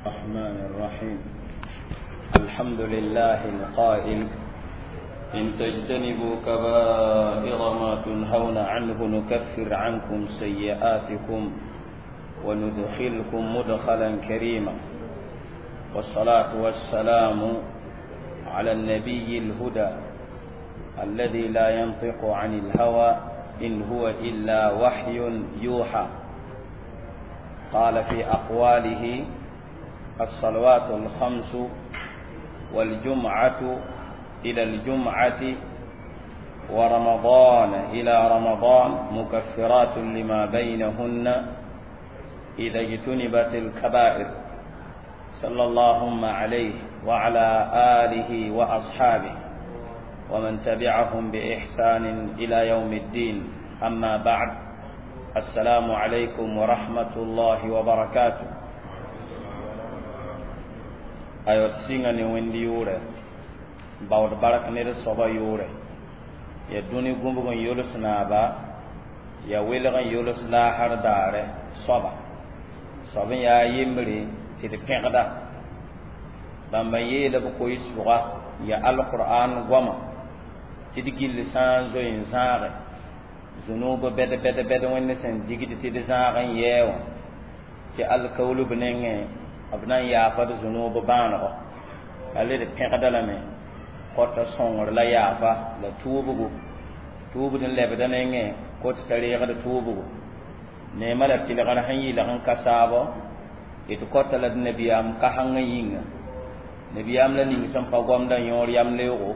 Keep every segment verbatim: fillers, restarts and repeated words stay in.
الرحمن الرحيم الحمد لله القائل إن تجتنبوا كبائر ما تنهون عنه نكفر عنكم سيئاتكم وندخلكم مدخلا كريما والصلاة والسلام على النبي الهدى الذي لا ينطق عن الهوى إن هو إلا وحي يوحى قال في أقواله الصلوات الخمس والجمعة إلى الجمعة ورمضان إلى رمضان مكفرات لما بينهن إذا اجتنبت الكبائر صلى اللهم عليه وعلى آله وأصحابه ومن تبعهم بإحسان إلى يوم الدين أما بعد السلام عليكم ورحمة الله وبركاته aywa sɩnga ne wẽnd yʋʋrɛ baood bark ned soaba yʋʋrɛ ya dũni gũbg n yols naaba ya welg n yols laasr daare soaba soab n yaa yembre tɩ d pẽgda bãmba n yeela b koɩs-pʋga ya alqur'an goama tɩ d gill sã n zoe n zãage zunub bɛd bɛd bɛd wẽnd sẽn digd tɩ d zãag n yɛɛ wã tɩ alkaul b nengẽ b na n yaafa d zunub bãanego la le d pẽgda lame kota sõngr la yaafa la tuubgo tuubd n lebda nengẽ kot t'a reegd tuubgo neema la tɩlgr sẽn yɩlg n ka saabo d kota la d nabiyaam kasãngã yĩnga nabiyaam la ning sẽn pa gomda yõor yam leoogo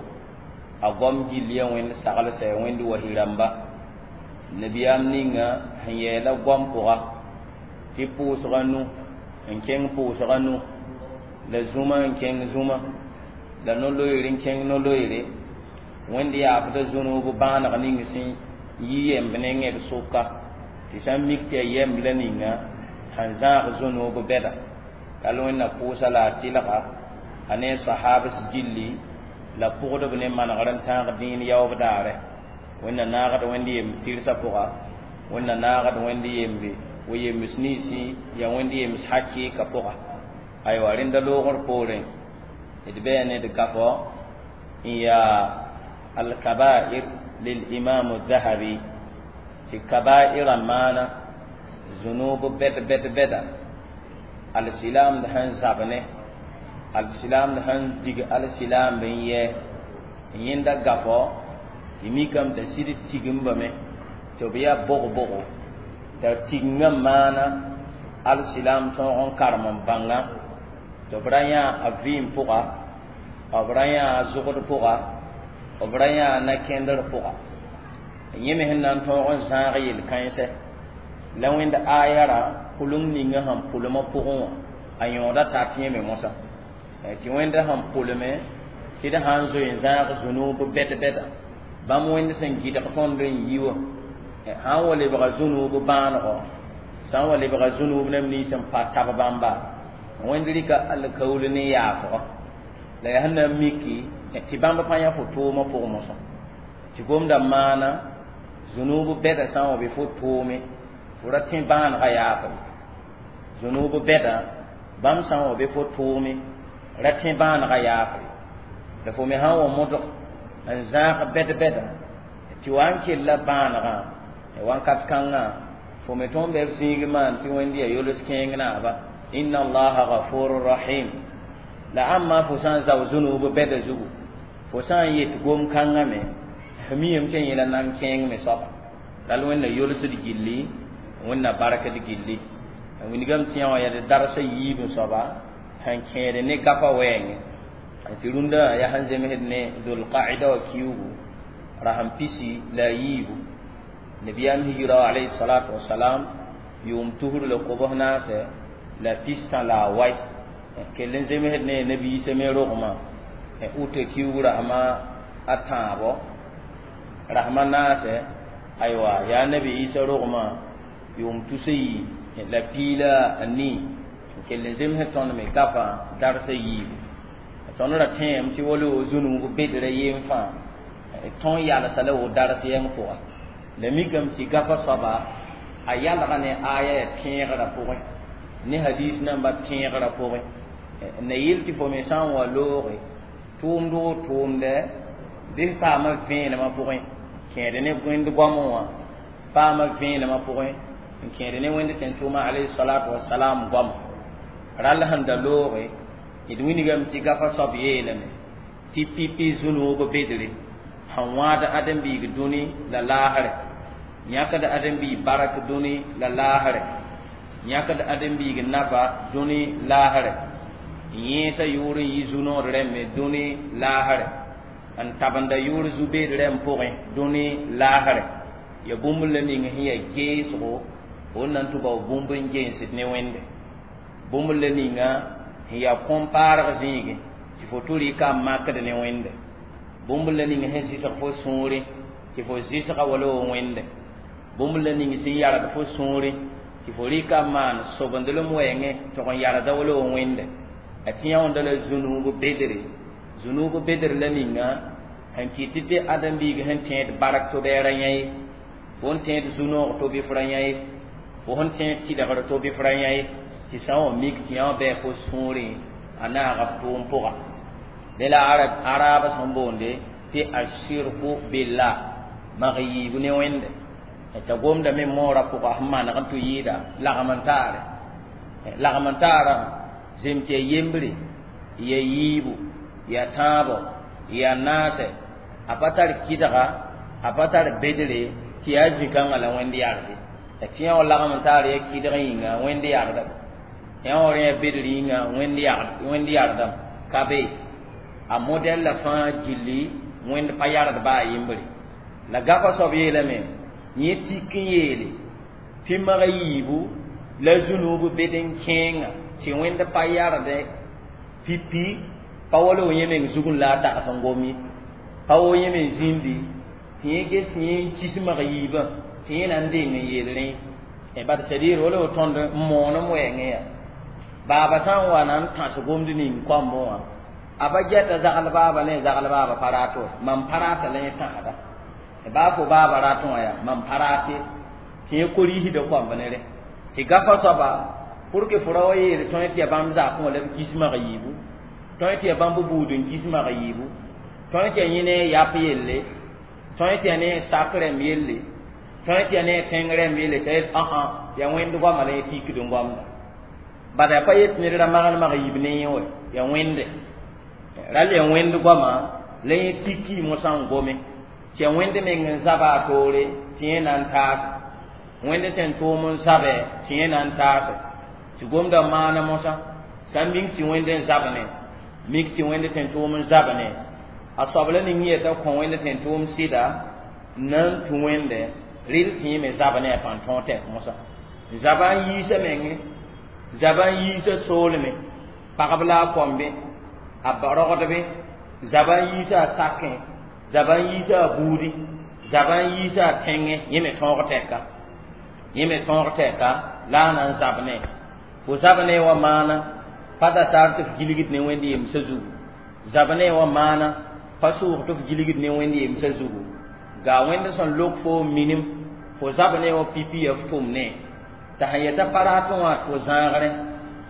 a gom gill ya wẽnd saglsɛ wẽnd wasi rãmba nabiyaam ninga sẽn yɛɛla goam pʋga tɩ pʋʋsga nu n kẽng pʋʋsga nu la zũma n kẽng zũma la no-loeer n kẽng no-loeere wẽnd yaafda zũnub bãaneg ning sẽn yi yemb nengẽ d sʋka tɩ sã n mik tɩ ya yemb la ninga sẽn zãag zũnub bɛda la wẽnna pʋʋsa la a tɩlga a ne sahabs gilli la pʋgdb ne manegr n tãag dĩin yaoob daare wẽnna naagd wẽnd yemb tɩrsã pʋga wẽnna naagd wẽnd yembe wo yems ninsi ya wẽnd yems hakɩɩka pʋga aywa rẽnda loogr poorẽ d bɩa ne d gafɔ n yaa alkabair lilimam الذهبي tɩ kabairã maana zunub bɛd bɛd bɛda alsilaamd sẽn zab ne alsilaamd sẽn dig alsilaamb n yɛ n yẽnda gafɔ tɩ mikame t'a sɩd tigmbame tɩ b yaa bog-bogo t'a tigngã maana alsilaam tõog n karem n bãnga tɩ b ra yã a vɩɩm pʋga b ra yã a zʋgd pʋga b ra yã a na-kẽndr pʋga yẽ me sẽn na n tõog n zãag yel-kãensɛ la wẽnd ayara pʋleng ninga sẽn pʋlmã pʋgẽ wã a yõoda tat yẽ me mosã tɩ wẽnda sẽn pʋlme tɩ d sã n zoe n zãag zũnub bɛd-bɛda bãmb wẽnd sẽn gɩdg tõnd n yi wã sã n wa lebga zũnub bãanego sã n wa lebga zũnub neb nins n pa tab bãmba wẽnd rɩka alkaul ne yaafgo la yaa sẽn na n miki tɩ bãmb pa yã fo tʋʋmã pʋgẽ mosã tɩ gomda maana zũnub bɛda sã n wa be fo tʋʋme fo ra tẽ bãanegã yaafre zũnub bɛda bãmb sã n wa be fo tʋʋme ra tẽ bãanegã yaafre la fo me sã n wa modg n zãag bɛd-bɛda tɩ wa n kella bãanegã wãnkat kãngã fo me tõnd bɩ b zĩig maan tɩ wẽnd yaa yols kẽeng naaba inna allaha gafurun rahim la ãmma fo sã n zao zũnub bɛda zugu fo sã n yet gom kãngã me f miame tɩ yẽla nan kẽeng me soaba la wẽnna yolsd gilli wẽnna barkd gilli wingame tɩ yã wã yaa d darsa yiib n soaba sẽn kẽed ne gafa wɛɛngẽ tɩ rũndã yaa sẽn zemsd ne dulqaida wã kiugu rasem pisi la a yiibu nabiyaam hijra alayhi salatu wasalam yʋʋm tusr la kobs naasɛ la pistã la a wai kell n zemsd ne nabiisã me rogmã uta kiugu rasma a tãabo rasma naasɛ aywa yaa nabi isa rogmã yʋʋm tusa yi la piila a nii kell n zemsd tõnd me gafã darsa yiibu tõnd ra tẽem tɩ wala zũnub bedra yem fãa tõn yalsa la wo dars yɛng pʋga la mikame tɩ gafa soaba a yalga ne aya ya tẽegrã pʋgẽ Ne hadis namba tẽegrã pʋgẽ na yɩl tɩ fo me sã n wa looge tʋʋmd o tʋʋmdɛ bɩ f paama vẽenemã pʋgẽ kẽed ne wẽnd goamẽ wã paama vẽenemã pʋgẽ n kẽed ne wẽnd tẽn-tʋʋmã alayhi salatu wasalam goama rall sẽn da looge d wilgame tɩ gafa soab yeelame tɩ pipi zũnuub bedre sẽn wãad ãdem-biig dũni la laasrɛ yãkd ãdem-biig barak dũni la laasrɛ yãkd ãdem-biig naba dũni laasrɛ n yẽesa yʋʋr n yi zu-nood rẽmbe dũni laasrɛ n tabenda yʋʋr zu-beed rẽmb pʋgẽ dũni laasrɛ ya bũmb la ning sẽn yaa geesgo fo n na n tɩ bao bũmb n gensd ne wẽnde bũmb la ninga sẽn yaa kõn-paarg zĩigẽ tɩ fo tʋ rɩka n makd ne wẽnde bũmb la ning sẽn zɩsg fo sũurẽ tɩ fo zɩsga wala wa wẽnde bũmb la ning sẽn yarg fo sũurẽ tɩ fo rɩka n maan sobendlem wɛɛngẽ tɩg n yarda wala wa wẽnde a tɩ yãonda la zũnuub bedre zũnuub bedr la ninga sẽn kɩt tɩ ãdem-biig sẽn tẽed bark tʋ-bɛɛra yã ye fo n tẽed zu-noog tɩ bɩ f ra yã ye fo sẽn tẽed tɩlgr tɩ bɩ f ra yã ye tɩ sã n wa mik tɩ yã wã bɩ fo sũurẽ a naaga f tʋʋm pʋga dẽ la araabã sẽn boonde tɩ ashirku billah mag yiibu ne wẽnde t'a gomdame moorã pʋga sẽn maneg n tʋ yɩɩda lagm n taare lagm n taarã zem tɩ ya yembre ya yiibu ya tãabo ya naasɛ a pa tar kɩdga a pa tar bedre tɩ yaa zĩ-kãngã la wẽnd yagde tɩ yã wa lagm n taar ya kɩdg yĩnga wẽnd yagdame yã wa rẽ ya bedr yĩnga wẽnd yagdame ka be a modɛl la fãa gilli wẽnd pa yard baa yembre la gafa soab yeelame yẽ tik n yeele tɩ mag yiibu la zũnuub bed n kẽenga tɩ wẽnd pa yarde pipi pa wala yẽ meng zug n la a tags n gom ye pa wa yẽ me zĩndi tɩ yẽ ges tɩ yẽ n kis mag yiibã tɩ yẽ na n deng n yeel rẽ bat c'est-à-dire wala wa tõnd n moonem wɛɛngẽ yaa baaba sã n wa na n tãs gomd ning koambẽ wã a pa gɛta zagl baaba ne zagl baaba pa rat wa mam pa rata la yẽ tãsda baa fo baaba ratẽ wã yaa mam pa rate tɩ yẽ koriisda koamb ne rẽ tɩ gafa soaba pour que fo ra wa yeel tõe tɩ ya bãmb zakẽ wã la b kis mag yiibu tõe tɩ ya bãmb buud n kis mag yiibu tõe tɩ ya yẽ ne a yap yelle tõe tɩ ya ne a sak rẽmb yelle tõe tɩ ya ne a tẽng rẽmb yelle t'a yet ãã ya wẽnd goama la yẽ tikd n goamda bala ya pa yet ned ra magd mag yiib ne yẽ wɛ ya wẽnde rall ya wẽnd goama la yẽ tiki mosã n gome tɩ ya wẽnd meng n zaba a toore tɩ yẽ na n taase wẽnd sẽn tʋʋm n zabɛ tɩ yẽ na n taase tɩ gomda maana mosã sã n mik tɩ wẽnd n zab ne mik tɩ wẽnd sẽn tʋʋm n zab ne a soab la ning yeta kõ wẽnd sẽn tʋʋm sɩda n na n tũ wẽnde rɩl tɩ yẽ me zab ne a pãn tõog tɛk mosã zaba n yiisa menge zaba n yiisa soolme pagb la a kõmbe a rogdbe zaba n yiisa a sakẽ zaba n yiisa a buudi zaba n yiisa a tẽngẽ yẽ me tõog tɛka yẽ me tõog tɛka la a na n zab ne fo zab ne wa maana pa da saar tɩ f gilgd ne wẽnd yemsã zugu zab ne wa maana pa sʋʋg tɩ f gilgd ne wẽnd yemsã zugu gaa wẽnd sẽn lok fo minim fo zab ne wa pipi ya f tʋm ne t'a sẽn yeta pa ratẽ wã tɩ fo zãagrẽ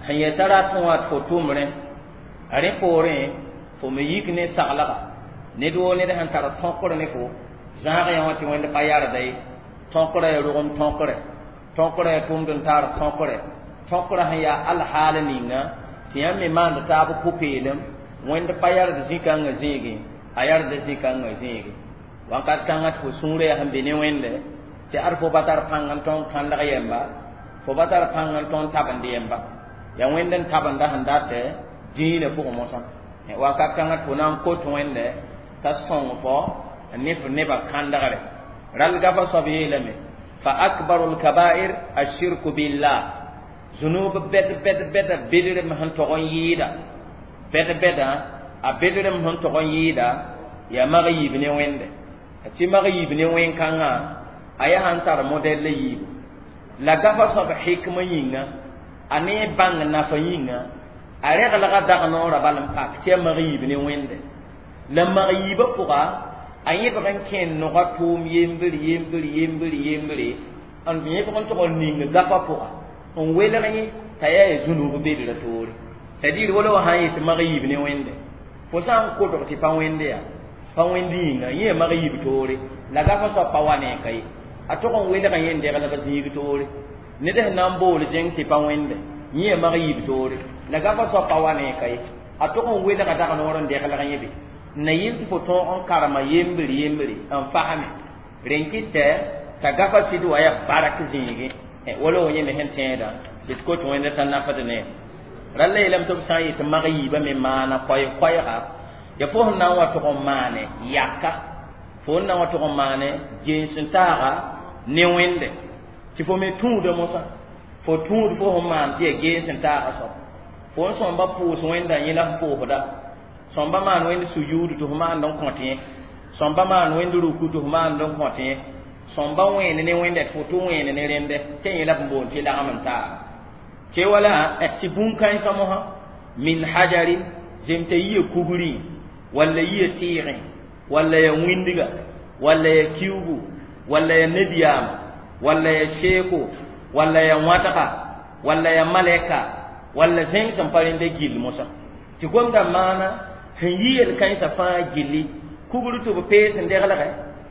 sẽn yeta ratẽ wã tɩ fo tʋmrẽ rẽ poorẽ fo me yik ne saglga ned woo ned sẽn tar tõkr ne fo zãag yã wã tɩ wẽnd pa yarda ye tõkrã ya rogem tõkrɛ tõkrã ya tʋmd n taar tõkrɛ tõkrã sẽn yaa alhaal ninga tɩ yãmb me maand taab pʋ-peelem wẽnd pa yard zĩ-kãngã zĩigẽ a yarda zĩ-kãngã zĩigẽ wãnkat kãngã tɩ fo sũurã yaa sẽn be ne wẽnde tɩ ad fo pa tar pãng n tõnd kãndg yɛmba fo pa tar pãng n tõnd tabend yɛmba yaa wẽnd n tabenda sẽn datɛ dĩinã pʋgẽ mosã wakat kãngã tɩ fo na n kot wẽnde t'a sõng fo ne f nebã kãndgre rall gafa soab yeelame fa akbaru lkabair ashirku billah zunub bɛd bɛd bɛda bedrem sẽn tog n yɩɩda bɛd bɛda a bedrem sẽn tog n yɩɩda yaa mag yiib ne wẽnde tɩ mag yiib ne wẽn-kãngã a yaa sãn tar modɛl la yiibu la gafa soab hikmã yĩnga a ne bãng nafa yĩnga a reglga dag noorã bal n pak tɩ yaa mag yiib ne wẽnde la mag yiibã pʋga a yẽbg n kẽ noga tʋʋm yembr yembr yembr yembre n yẽbg n tog n ning gafã pʋga n welg yẽ t'a yaa ya zũnub bedra toore. C'est-à-dire wala wa sã n yet mag yiib ne wẽnde, fo sã n kotg tɩ pa wẽnde yaa pa wẽnd yĩnga, yẽ mag yiib toore la gafa soab pa wa ne ka ye, a tog n welga yẽ n deglg zĩig toore. Ned sẽn na n bool zẽng tɩ pa wẽnde, yẽ mag yiib toore la gafa soab pa wa ne ka ye, a tog n welga dag noor n deglg yẽ be n na yɩl tɩ fo tõog n karema yembre yembre n fasme rẽn kɩtɛ t'a gafa sɩd wa yaa bark zĩigẽ. Wala wa yẽ me sẽn tẽedã tɩ d kot wẽnda t'a nafd ne ralla yeelame tɩ b sã n yet mag yiibã me maana koɛɛ-koɛɛga ya fo sẽn na n wa tʋg n maane yaka, fo n na n wa tʋg n maane gens n taaga ne wẽnde tɩ fo me tũuda mosã, fo tũud fo sẽn maan tɩ yaa gens n taaga soab, fo n sõmba pʋʋs wẽnda yẽ la f pʋʋsda, sõmba maan wẽnd sujuud tɩ f maand n kõt yẽ, sõmba maan wẽnd ruku tɩ f maand n kõt yẽ, sõmba wẽen ne wẽnda tɩ fo tɩ wẽen ne rẽndɛ tɩ yẽ la b boond tɩ lagm n taaga tɩ wala tɩ bũn-kãensã mosã min hajarin zem t'a yia kugrẽ walla yia tɩɩgẽ walla ya wĩndga walla ya kiugu walla ya nabiyaama walla ya seeko walla ya wãdga walla ya malɛka walla zẽng sẽn pa rẽnda gill mosã tɩ gomda maana sẽn yi yel-kãensã fãa gilli, kugr tɩ b pees n deglgɛ,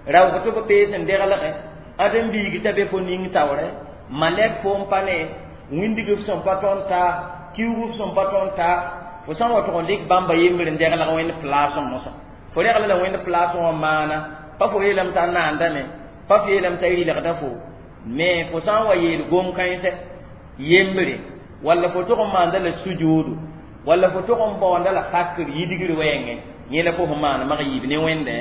raoog tɩ b pees n deglgɛ, ãdem-biig t'a be fo ning taoorɛ, malɛk fo n pa ne wĩndg f sẽn pa tõnd taa, kiuug f sẽn pa tõnd taa, fo sã n wa tʋg n dɩk bãmba yembr n deglg wẽnd plaasẽ mosã, fo regla la wẽnd plaasẽ wã maana pa fo yeelame t'a naandame, pa fo yeelame t'a rɩlgda fo me, fo sã n wa yeel gom-kãensɛ yembre walla fo tʋg n maanda la sujuudu walla fo tʋg n baoonda la fakr yidgr wɛɛngẽ, yẽ la fo sẽn maan mag yiib ne wẽnde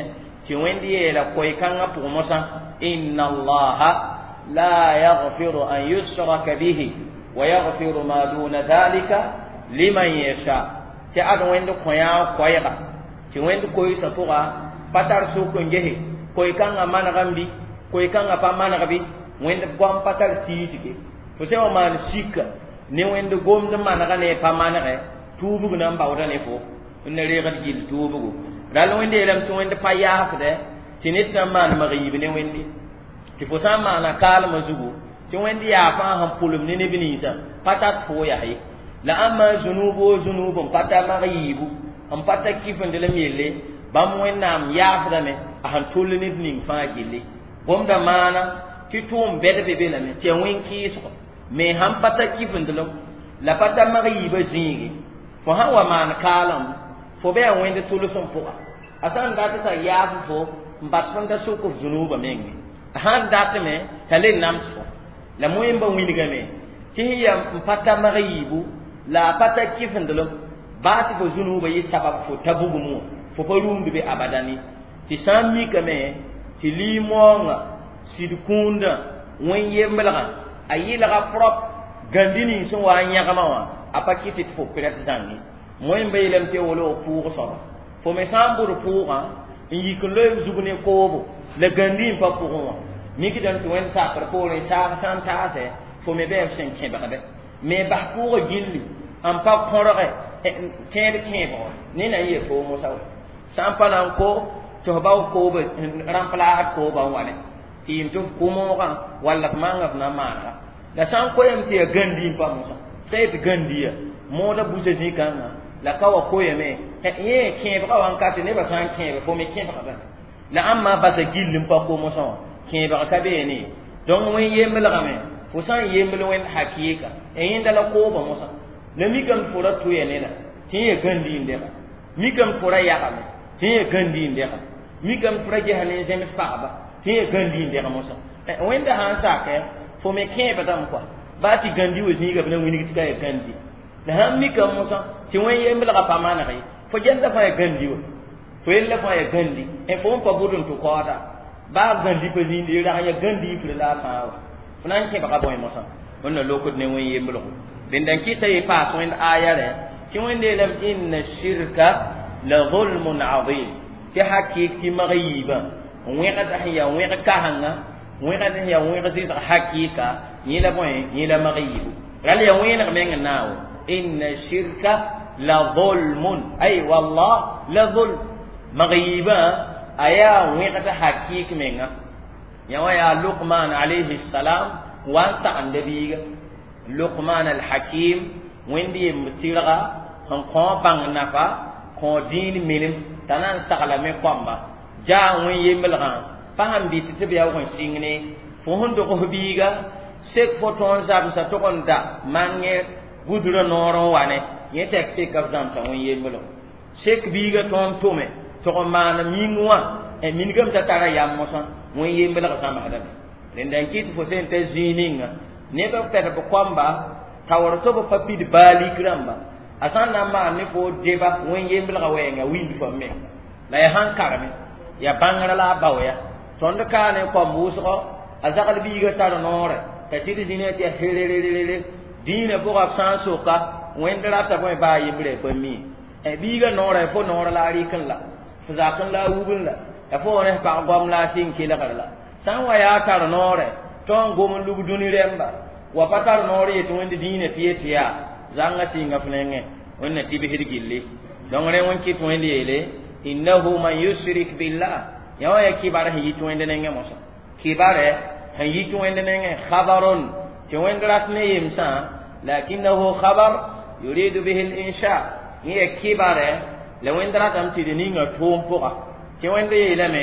tɩ wẽnd yeela koe-kãngã pʋgẽ mosã inna allaha la yaghfiru an yushraka bihi wa yaghfiru ma duna dhalika liman yasha, tɩ ad wẽnd kõ-yaa koɛɛga tɩ wẽnd koeesã pʋga pa tar sʋk n gese koe-kãngã manegame bɩ koe-kãngã pa maneg bɩ, wẽnd goam pa tar tiisge, fo sã wa maan sika ne wẽnd gomd manega ne pa manegɛ tuubg na n baooda ne fo n na reegd gill tuubgo rall wẽnd yeelame tɩ wẽnd pa yaafdɛ tɩ ned sã n maan mag yiib ne wẽnde tɩ fo sã n maana kaalmã zugu tɩ wẽnd yaafã sẽn pʋlem ne neb ninsã pa tat fo yaa ye la ãmba zũnub o zũnub n pa ta mag yiibu n pa ta kifendelem yelle bãmb wẽnnaam yaafdame a sẽn tʋll ned ning fãa gilli gomda maana tɩ tʋʋm bɛd be be lame tɩ ya wẽn-kɩɩsgo me sãn pa ta kifendelem la pa ta mag yiibã zĩige fo sãn wa maan kaalem fo bɩ a wẽnd tʋlsem pʋga a sã n dat t'a yaaf fo n bat fõn da sʋk f zũnuubã menge, a sãn datme t'a le nams fo la moẽmba wĩnigame tɩ sẽn yaa n pa ta mag yiibu la a pa ta kifendelem baa tɩ fo zũnuubã yɩ sabab fo ta bugum wã fo pa rũmd be abadani tɩ sã n mikame tɩ lii-moongã sɩd kũundã wẽn-yemblgã a yɩlga prop gãndi ning sẽn wa n yãgmã wã a pa kɩt tɩ fo pɩrɛt zãnge moẽmba yeelame tɩ wolo pʋʋg soaba fo me sã n bʋd pʋʋgã n yik n loe zug ne koobo la gãndi n pa pʋgẽ wã mikdame tɩ wẽnd sakr poorẽ saag sã n taasɛ fo me bɩ f sẽn kẽbgdɛ me bas pʋʋgã gilli n pa kõrge tẽed kẽebgo ne na n yeel fo mosa wa sã n pa na n ko tɩ f bao kooba rãmplaasd kooba n wa ne tɩ yɩm tɩ f kʋ moogã walla f manga f na n maanega la sã n koeem tɩ yaa gãndi n pa mosa sã yet gãndi ya mooda busa zĩ-kãngã la ka wa koeeme yẽ kẽebgã wa n ka tɩ nebã sã n kẽebe fo me kẽbgdã la ãmba basa gill n pa ko mosã wã kẽebg ka beene donc wẽn yemblgame fo sã n yembl wẽnd hakɩɩka yẽnda la koobã mosã la mikame tɩ fo ra tʋya ne la tɩ yẽ gãndi n dega mikame tɩ fo ra yagame tɩ yẽ gãndi n dega mikame tɩ fo ra gesa ne n zẽms pagba tɩ yẽ gãndi n dega mosã wẽnda sã n sakɛ fo me kẽebdame kɔa baa tɩ gãndi wa zĩiga b na wilg tɩ ka ya gãndi la sãn mikame mosã tɩ wẽn yemblgã pa maneg ye fo gella fãa ya gãndi wa fo yella fãa ya gãndi fo n pa bʋd n tʋ kaooda baa gãndi pa zĩindi rag ya gãndi yifr la a fãa wa fo na n kẽbga bõe mosã wẽnna lokd ne wẽn yemblgo dẽnda n kɩta yɩ paas wẽnd aya rẽ tɩ wẽnd yeelame inna shirka la zulmun azim tɩ hakɩɩk tɩ mag yiibã wẽgd sẽn yaa wẽg kasengã wẽgd sẽn yaa wẽg zɩsg hakɩɩka yẽ la bõe yẽ la mag yiibu rall yaa wẽeneg meng n naawo inna shirka la zulmun ay wallah la zulm mag yiibã a yaa wẽgd hakɩɩk menga yã wã yaa Luqman alayhi salam wa n sagenda biiga Luqman al-Hakim wẽnd yemb tɩrga sẽn kõ bãng nafa kõ dĩin minim t'a na n saglame koamba jaa wẽn yemblgã pa sẽn bɩt tɩ b yaoog n sɩng ne fo sẽn dogs biiga sek fo tõog n zamsa tʋg n da mangẽ gudrã noor n wa ne yẽ tɛk seka b zãmsa wẽn yemblg sek biiga tõog n tʋme tʋg n maan ming wã mingame t'a tara yam mosã wẽn yemblg zãmsdame rẽnda n kɩt fo sẽn ta zĩig ninga neb b pɛd b koamba taoor tɩ b pa pid baalik rãmba a sã n na n maan ne fo deba wẽn yemblgã wɛɛnga wind fo menga la ya sãn kareme ya bãngrã la a bao ya tõnd kaa ne koam wʋsgɔ a zagl biiga tar noorɛ t'a sɩd zĩnã tɩ ya herererere dĩinã pʋga b sã n soka wẽnd rata bõe baa yembrã pa mi biiga noorɛ fo noor la a rɩk n la fo zak n la a wubn la ya fo ne pag goam la a sɩng kelgr la sã n wa yaa tar noorɛ tõnd n gom n lub dũni rẽmba wa pa tar noor yetɩ wẽnd dĩinã tɩ yetɩ yaa zãngã sɩnga f nengẽ wẽnna tɩbsd gilli donc rẽ wẽn kɩt wẽnd yeele innahu man yushrik billah yã wã ya kibar sẽn yit wẽnd nengẽ mosã kibarɛ sẽn yit wẽnd nengẽ khabarun tɩ wẽnd rat ne yemsã lakinnahu khabar yuridu bihi linsha yẽ ya kibarɛ la wẽnd ratame tɩ d ninga tʋʋm pʋga tɩ wẽnd yeelame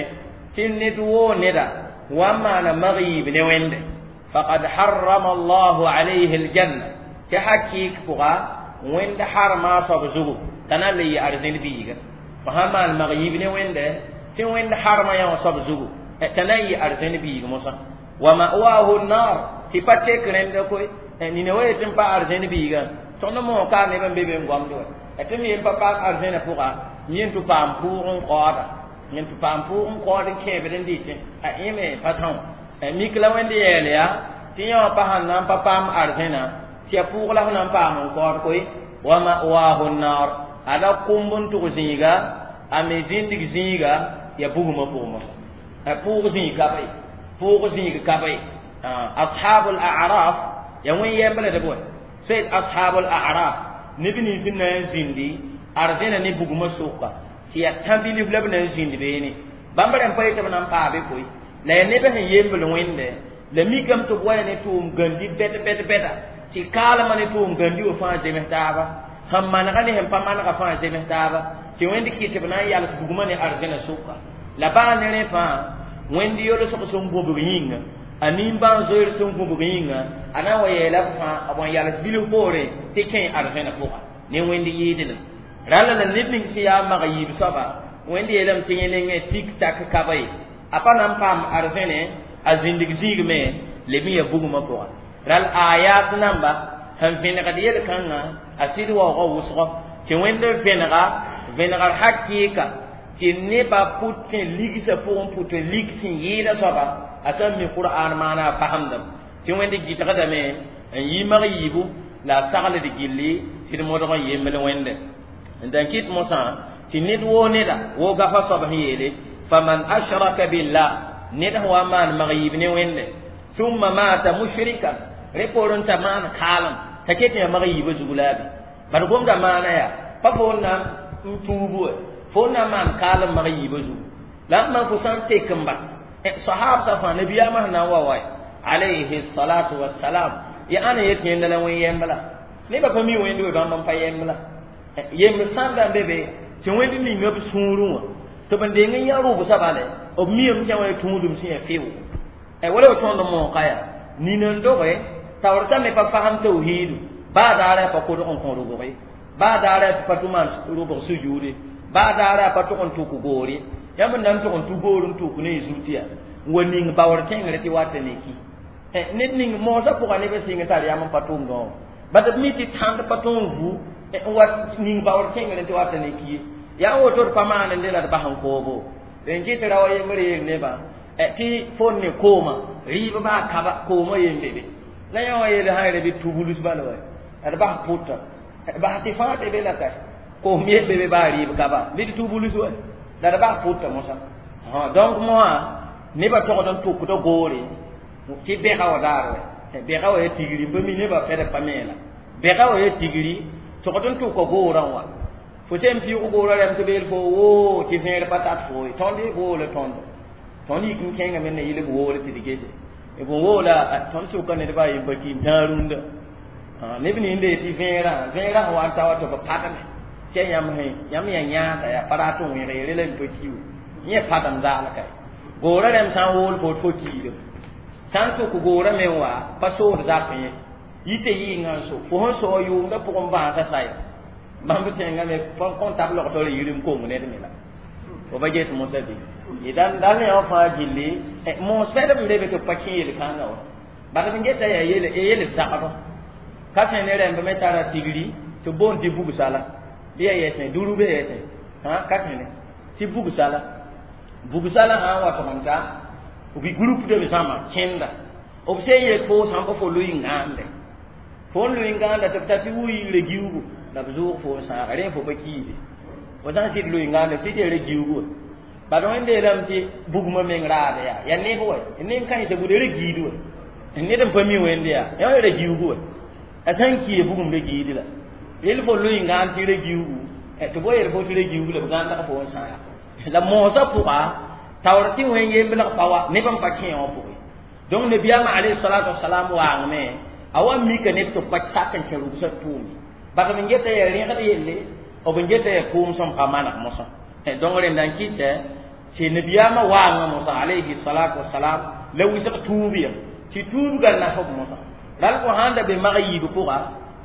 tɩ ned woo neda wa n maana mag yiib ne wẽnde faqad harrama allahu alayhi aljanna tɩ hakɩɩk pʋga wẽnd harma a soab zugu t'a na n le yɩ arzẽn biiga fo sãn maan mag yiib ne wẽnde tɩ wẽnd harma yã wã soab zugu t'a na n yɩ arzẽn biig mosã wa ma'wahu nnar tɩ pa tek rẽnda koe nina wa yetɩ n pa arzẽn biigã tõnd moog ka neb n be be n goamd wa tɩ m yen pa paam arzẽnã pʋga yẽ tɩ paam pʋʋg n kaooda yẽ tɩ paam pʋʋg n kaood n kẽebd n dɩtẽ a yẽ me pa são mik la wẽnd yɛɛl yaa tɩ yã wã pa sãn na n pa paam arzẽnã tɩ ya pʋʋg la f na n paam n kaood koe wa ma'wahu nnar ada kũmb n tʋg zĩiga a me zĩndig zĩiga ya bugmã pʋgẽ mosã pʋʋg zĩig ka be pʋʋg zĩig ka be ashabul a'raf ya wẽn yɛmbld bõe sayd ashabul a'raf neb nins n na n zĩndi arzẽna ne bugmã sʋka tɩ ya tã-bilf la b na n zĩnd beene bãmb rẽm pa yetɩ b na n paabe koe la ya neb sẽn yembl wẽnde la mikame tɩ b wa ya ne tʋʋm gãndi bɛd bɛd bɛda tɩ kaalmã ne tʋʋm gãndi wã fãa zems taaba sẽn manega ne sẽn pa manega fãa zems taaba tɩ wẽnd kɩt b na n yals bugmã ne arzẽna sʋka la baa ne rẽ fãa wẽnd yolsg sẽn gũbg yĩnga a nimbãan-zoeer sẽn gũbg yĩnga a na n wa yeela b fãa b n yals bilf poorẽ tɩ kẽ arzẽna pʋga ne wẽnd yɩɩdlem rãlla la ned ning sẽn yaa mag yiib soaba wẽnd yeelame tɩ yẽ nengẽ tik tak ka ba ye a pa na n paam arzẽne a zĩndig zĩigme leb n ya bugmã pʋga rãll ayat namba sẽn vẽnegd yel-kãngã a sɩd waoogã wʋsgɔ tɩ wẽnd n vẽnega vẽnegr hakɩɩka tɩ nebã pʋt n ligsã pʋgẽ pʋt n lig sẽn yɩɩda soaba a sã n mi qur'an maana a fasemdame tɩ wẽnd gɩtgdame n yi mag yiibu la a sagld gilli tɩ d modg n yembl wẽnde n dan kɩt mosã tɩ ned woo neda woo gafa soab sẽn yeele faman ashraka billah ned sẽn wa n maan mag yiib ne wẽnde thumma mata mushrikan rẽ poorẽ t'a maan kaalem t'a ket yã mag yiibã zug la a be bad gomda maana yaa pa fo n na n tuub wa fo n na n maan kaalem mag yiibã zugu la n maan fo sã n tek n bas sahabta fãa nabiyaamã sẽn na n wa wa alayhi salatu wassalam ya ãna yet yẽnda la wẽn yɛmbla nebã pa mi wẽnd we bãmb n pa yɛmbla yemb sãnda n be be tɩ wẽnd ninga b sũurẽ wã tɩ b n deng n yã rʋbsã bale b miame tɩ wã tũudum sẽn ya fɩʋ wala b tõnd mooka yaa nin n doge taoor t'a me pa fasem tawhiidu baa daarã pa kodg n kõ rʋbg ye baa daarã tɩ pa tʋ maan rʋbg sujuude baa daarã pa tʋg n tʋk goor ye yãmb n na n tʋg n tʋ goor n tʋk ne y zut yaa n wa ning baoor kẽngre tɩ wata ne ki ned ning moosã pʋga neb n sɩng tar yam n pa tʋmdõ wã bat b mi tɩ tãnd pa tõog n vu n wa ning baoor kẽngre tɩ wata ne ki ye yaa woto d pa maan n de la d bas n koobo n kɩt ra wa yembr yeel nebã tɩ fo ne kooma rɩɩb baa kaba kooma yen be be la yã wã yeel sã bɩ tubulus bala wa d bas pʋta bas tɩ fãa tɩ be la ka koom yel be be baa rɩɩb kaba bɩ d tubulus wa la d bas pʋta mosã donc moã nebã togd n tʋkda goore tɩ bɛga wa daar wa bɛga wa ya tigri n pa mi nebã fɛd pa meela bɛga wa ya tigri togd n tʋka goorã wã fo sẽn pɩʋg goorã rɛm tɩ beel fo woo tɩ vẽer pa tat fo ye tõnd y goola tõndo tõnd yik n kẽngame na yɩl b woole tɩ d gese b woola tõnd sʋka ned baa yempa ki n tãag rũndã Neb ninde tɩ vẽerã vẽerã sẽn wa n ta wa tɩ b padme tɩ ya yãmb sẽ yãmb yaa yãasa yaa pa rat n wẽg yere la n pa ki we yẽ padem zaal ka goorã rẽmb sã n wool fo fo kiidem sã n tʋk goorã me n wa pa sood zap yẽ yɩ tɩ yɩɩngã n so fo sẽn soa yʋʋmdã pʋgẽ bãasa saya bãmb tẽngã me kõn tab logtɔ yirim kong ned me la fo ba get mosã bɩ dan dal yã wã fãa gilli moos fɛdb n be be tɩ b pa kẽ yel-kãngã wa bad b geta yaa yel yel zagdɔ ka sẽ ne rẽmb me tara tigri tɩ boond tɩ bugsala bɩ ya yɛsẽ duru be yɛsẽ ka sẽ ne tɩ bugsala bugsala sã n wa tʋgemta b groupe b zãma kẽnda b sẽn yet fo sãn pa fo lʋɩ ngãande fo n lʋɩ ngãanda tɩ b ta tɩ wʋɩ giugu la b zʋʋg fo n sãaga rẽ fo pa kiide fo sã n sɩd lʋɩ ngãande tɩ tɩ giugu bad wẽnde yeelame tɩ bugmã meng raada yaa yaa neb wɛ neb kãensã buda ra giid wɛ ned n pa mi wẽnde yaa yã ra giugu wɛ a sã n ki bugum ra giid la yel fo lʋɩ ngãand tɩ ra giugu tɩ bo yel fo tɩ ra giugu la b gãndg fo n sãaga la moosã pʋga taoor tɩ wẽn yembelg pa wa neb n pa kẽ wã pʋgẽ donc nabiyaamã alayhi salatu wasalam waangme a wa mika neb tɩ b pa sak n kẽ rugsã tʋʋme bad b n geta yaa rẽgd yelle b n geta yaa kʋʋm sẽn pa maneg mosã donc rẽnda n kɩtɛ tɩ nabiyaamã waangã mosã alayhi salatu wasalam la wɩsg tuub ya tɩ tuubga nasb mosã ral fo sãn da be mag yiib pʋga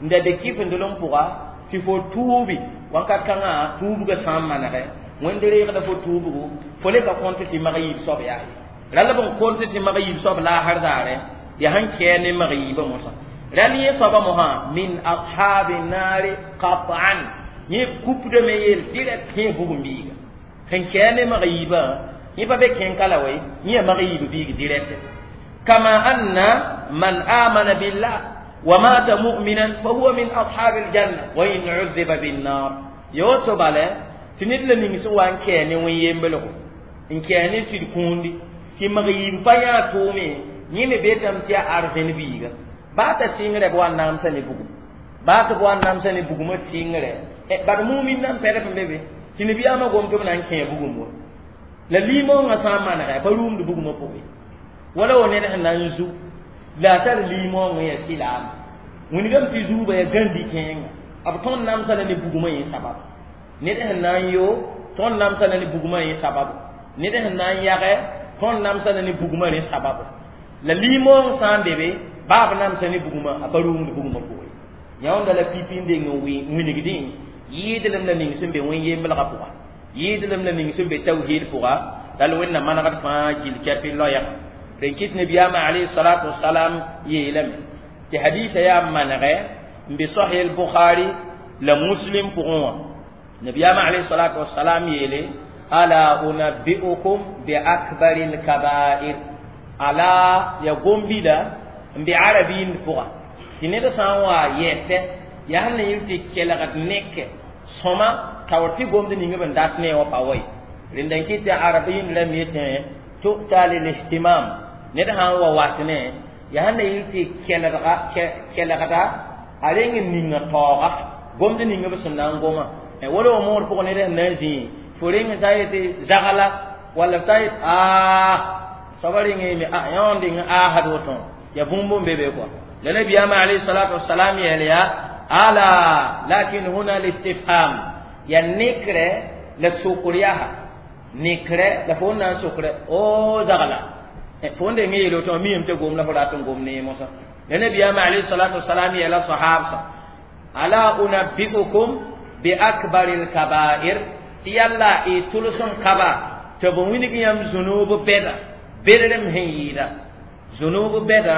n da be kɩfendlem pʋga tɩ fo tuubi wãnkat kãngã tuubga sã n manegɛ wẽnd reegda fo tuubgo fo le ka kõnt tɩ mag yiib soab yaa ye rall b n kõnt tɩ mag yiib soab laasr daare yaa sẽn kɛɛ ne mag yiibã mosã rall yẽ soabã mosã min ashabi naari qat'an yẽ kupdame yeel direct kẽ bugum biiga sẽn kɛɛ ne mag yiibã yẽ pa be kẽn-ka la wɛ yẽ yaa mag yiib biig direct kama anna man amana billah wa mata mu'minan fa huwa min ashabi aljanna wa in udhiba binnar yoto bale tɩ ned la ning sẽn wa n kɛɛ ne wẽn-yembelgo n kɛɛ ne sɩd kũundi tɩ mag yiib pa yãa tʋʋme yẽ me beetame tɩ yaa arzẽn biiga baa t'a sɩngrɛ b wa n namsa ne bugum baa tɩ b wa n namsa ne bugumã sɩngrɛ bad mumin nan pɛdb n be be tɩ nabiyaamã gom tɩ b na n kẽe bugum wa la liimoongã sã n manega pa rũumd bugumã pʋgẽ wala wa ned sẽn na n zu la a tar liimoongã yaa sɩlaama wingame tɩ zuubã yaa gãndi kẽenga b tõnd namsa la ne bugumã yẽ sabab ned sẽn na n yo tõnd namsa la ne bugumã yẽ sababu ned sẽn na n yagɛ tõnd namsa la ne bugumã rẽ sababu la liimoong sã n be be baa b namsa ne bugumã a pa rũumd bugumã pʋgẽ yãonda la pipi n deng n wingdẽ yɩɩdlem la ning sẽn be wẽn-yemblgã pʋga yɩɩdlem la ning sẽn be tawhiid pʋga dal wẽnnaam manegd fãa gill kɛpɩ loɛɛga rẽn kɩt nabiyaamã alayhi salatu wasalam yeelame tɩ hadiisa yaa manegɛ n be sahih al-bukhari la muslim pʋgẽ wã nabiyaamã alayhi salatu wasalam yeele ala unabbi'ukum bi akbari al-kaba'ir ala ya gombida n be arabiind pʋga tɩ ned sã n wa yɛtɛ yaa sẽn na yɩl tɩ kelgd neke sõma taoor tɩ gomd ning b n dat ne wã pa wa ye rẽnda n kɩt tɩ arabiind rãmb yetẽ tu'ta lil-ihtimam ned sã n wa wat ne yaa sẽn na yɩl tɩ kelgda kelgda a reng n ninga taooga gomd ning b sẽn na n goma wala wa moor pʋgẽ ned sẽn na n zĩi fo reng t'a yetɩ zagla walla t'a yet aa soaba reng yeme a yã n deng aasd woto ya bũmb n be be kɔa la nabiyaamã alayhi salatu wasalam yeel yaa ala lakin huna listifham ya nekrɛ la sokr yaa nekrɛ la fo n na n sokre o zagla fo n deng yeel woto miyame tɩ gom la fo rat n gom ne mosã la nabiyaamã alayhi salatu wasalam yeela sahabsã ala unabbi'ukum bi akbari lkabair tɩ yalla y tʋls n kaba tɩ b wilg yãmb zunub bɛda bedrem sẽn yɩɩda zunub bɛda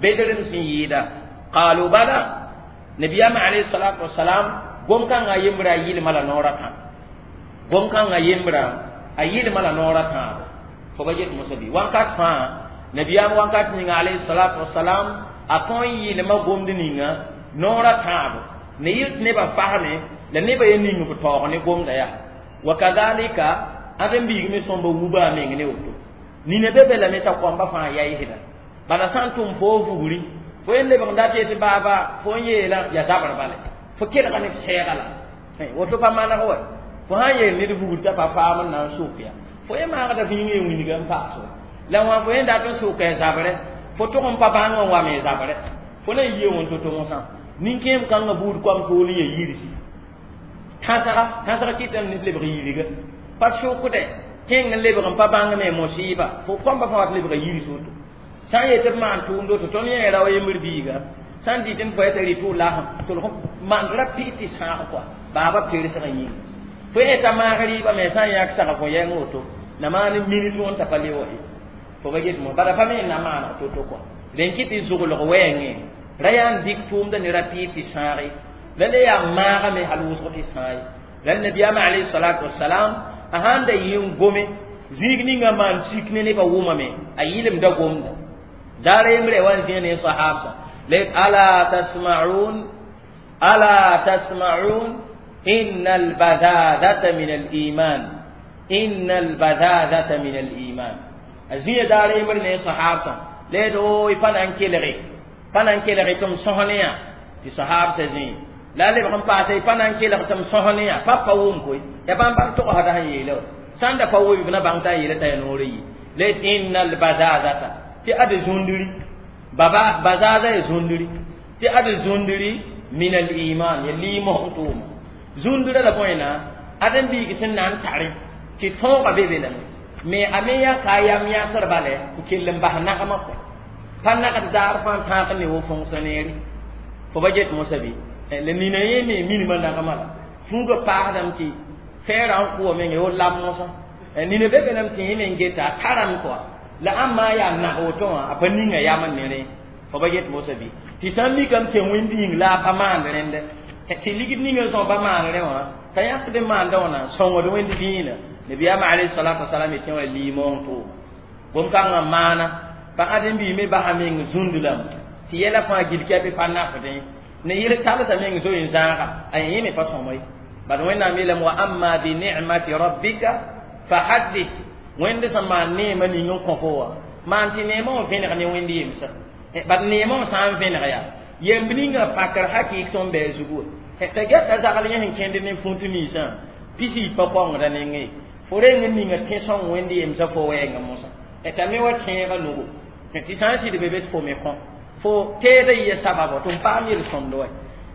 bedrem sẽn yɩɩda qalu bala nabiyaamã alayhi salatu wasalam gom-kãngã yembra a yɩlma la noorã tã gom-kãngã yembra a yɩlma la noorã tãabo fo ba get mosã bɩ wãnkat fãa nabiyaam wãnkat ninga alayhi salatu wasalam a tõe n yɩlma gomd ninga noorã tãabo ne yɩl tɩ nebã fasme la nebã ye ning b taoog ne gomda yaa wa kadhalika ãdem biig me sõmba wuba a meng ne woto nina be be lame t'a koamba fãa yaɩsda bala sã n tʋm fo vugri fo yen lebg n dat yetɩ baaba fo n yeela ya zabr bale fo kelga ne f sɛɛga la woto pa maneg wa fo sã n yeel ned vugr t'a pa paam n na n sok ya fo ye maagda f yĩng ye wilga n paas wa la wã fo yẽ dat n soka ya zabrɛ fo tʋg n pa bãng n wa me zabrɛ fo na n yie wẽn to-to mosã Nin-kẽem kãngã buud koam tool n ya yirsi tãsga tãsga kɩtame ned lebg yirga pa sʋkdɛ kẽng n lebg n pa bãng me mosiiba fo koamba fãa wat lebga yirs woto sã n yet b maan tʋʋmd woto tõnd yẽ rao yembr biiga sã n dɩt n fo t'a rɩ tʋ lasem tʋlg maan ra pɩ tɩ sãag kɔa baaba persgã yĩnga fo yeta maag rɩɩbã me sã n yãk sag fo yɛng woto na maan minit wẽn t'a pa le wa ye fo ba get mo bala pa me na maaneg to-to kɔa rẽn kɩ tɩ zʋglg wɛɛngẽ ra yaa n dɩk tʋʋmda ne ra pɩ tɩ sãage la le yaa maagame hal wʋsg tɩ sãa ye la nabiyaamã alayhi salatu wasalam a sãn da yɩ n gome zĩig ninga maan sik ne nebã wʋmame a yɩlemda gomda daara yembre wa n zĩa ne sahabsã la ala tasma'un ala tasma'un inna albadadata min aliman inna albadadata min aliman a zĩa daara yembre ne sahabsã la d o y pa na n kelge pa na n kelge tɩ m sõs ne yã tɩ sahabsã zĩi la lebg n paasa y pa na n kelg tɩ m sõs ne yã pa pa wʋm koe ya bãmb bãng togsda sẽn yeele wa sãn da pa wʋm b na bãng t'a yeela t'a ya noorã yi la inna albazazata tɩ ad zũndri baba bazaza ya zũndri tɩ ad zũndri min aliman ya liimosg tʋʋma zũndrã la bõe na ad n biig sẽn na n tare tɩ tõoga be be lame me a me yaa ka yam yãsr bale n kell n bas nagmã kɔ pa nagd daar fãa tãag ne wo fonctionnaire fo ba get mosã bɩ la nina yẽ me minimã nagmã la fuugã paasdame tɩ fɛɛrã n kʋwa menge wo lam mosã nina be be lame tɩ yẽ me n geta a tarame kɔa la ãmb yaa nag woto wã a pa ninga yam n ne rẽ fo ba get mosã bɩ tɩ sã n mikame tɩ wẽnd yĩng la a pa maand rẽndɛ tɩ ligd ninga n sõs pa maan rẽ wã t'a yãkd n maanda wã na sõngd wẽnd dĩinã nabiyaamã alayhi salatu wasalam yetẽ wã liimong tʋʋma bõn-kãngã maana pa ãdem-biig me basa meng zũnd lame tɩ yɛla fãa gil kɛpɩ pa nafdẽ ne yel talsã meng zoe n zãaga a yẽ me pa sõma ye bad wẽnnaam yeelame wa amma bi nicmati rabbika fa haddith wẽnd sẽn maan neemã ning n kõ fo wã maan tɩ neemã wã vẽneg ne wẽnd yemsã bad neemã wã sã n vẽneg yaa yemb ninga pakr hakɩɩk tõnd bɩ a zugu wã t'a gɛta zagl yẽ sẽn kẽnd ne fũut ninsã pisi pa kaongda nengẽ fo reng n ninga tẽ-sõng wẽnd yemsã fo wɛɛngã mosã t'a me wa tẽebã nugu tɩ sã n sɩd be be tɩ fo me kõ fo teeda yɩ sababo tɩ m paam yel-sõmd wa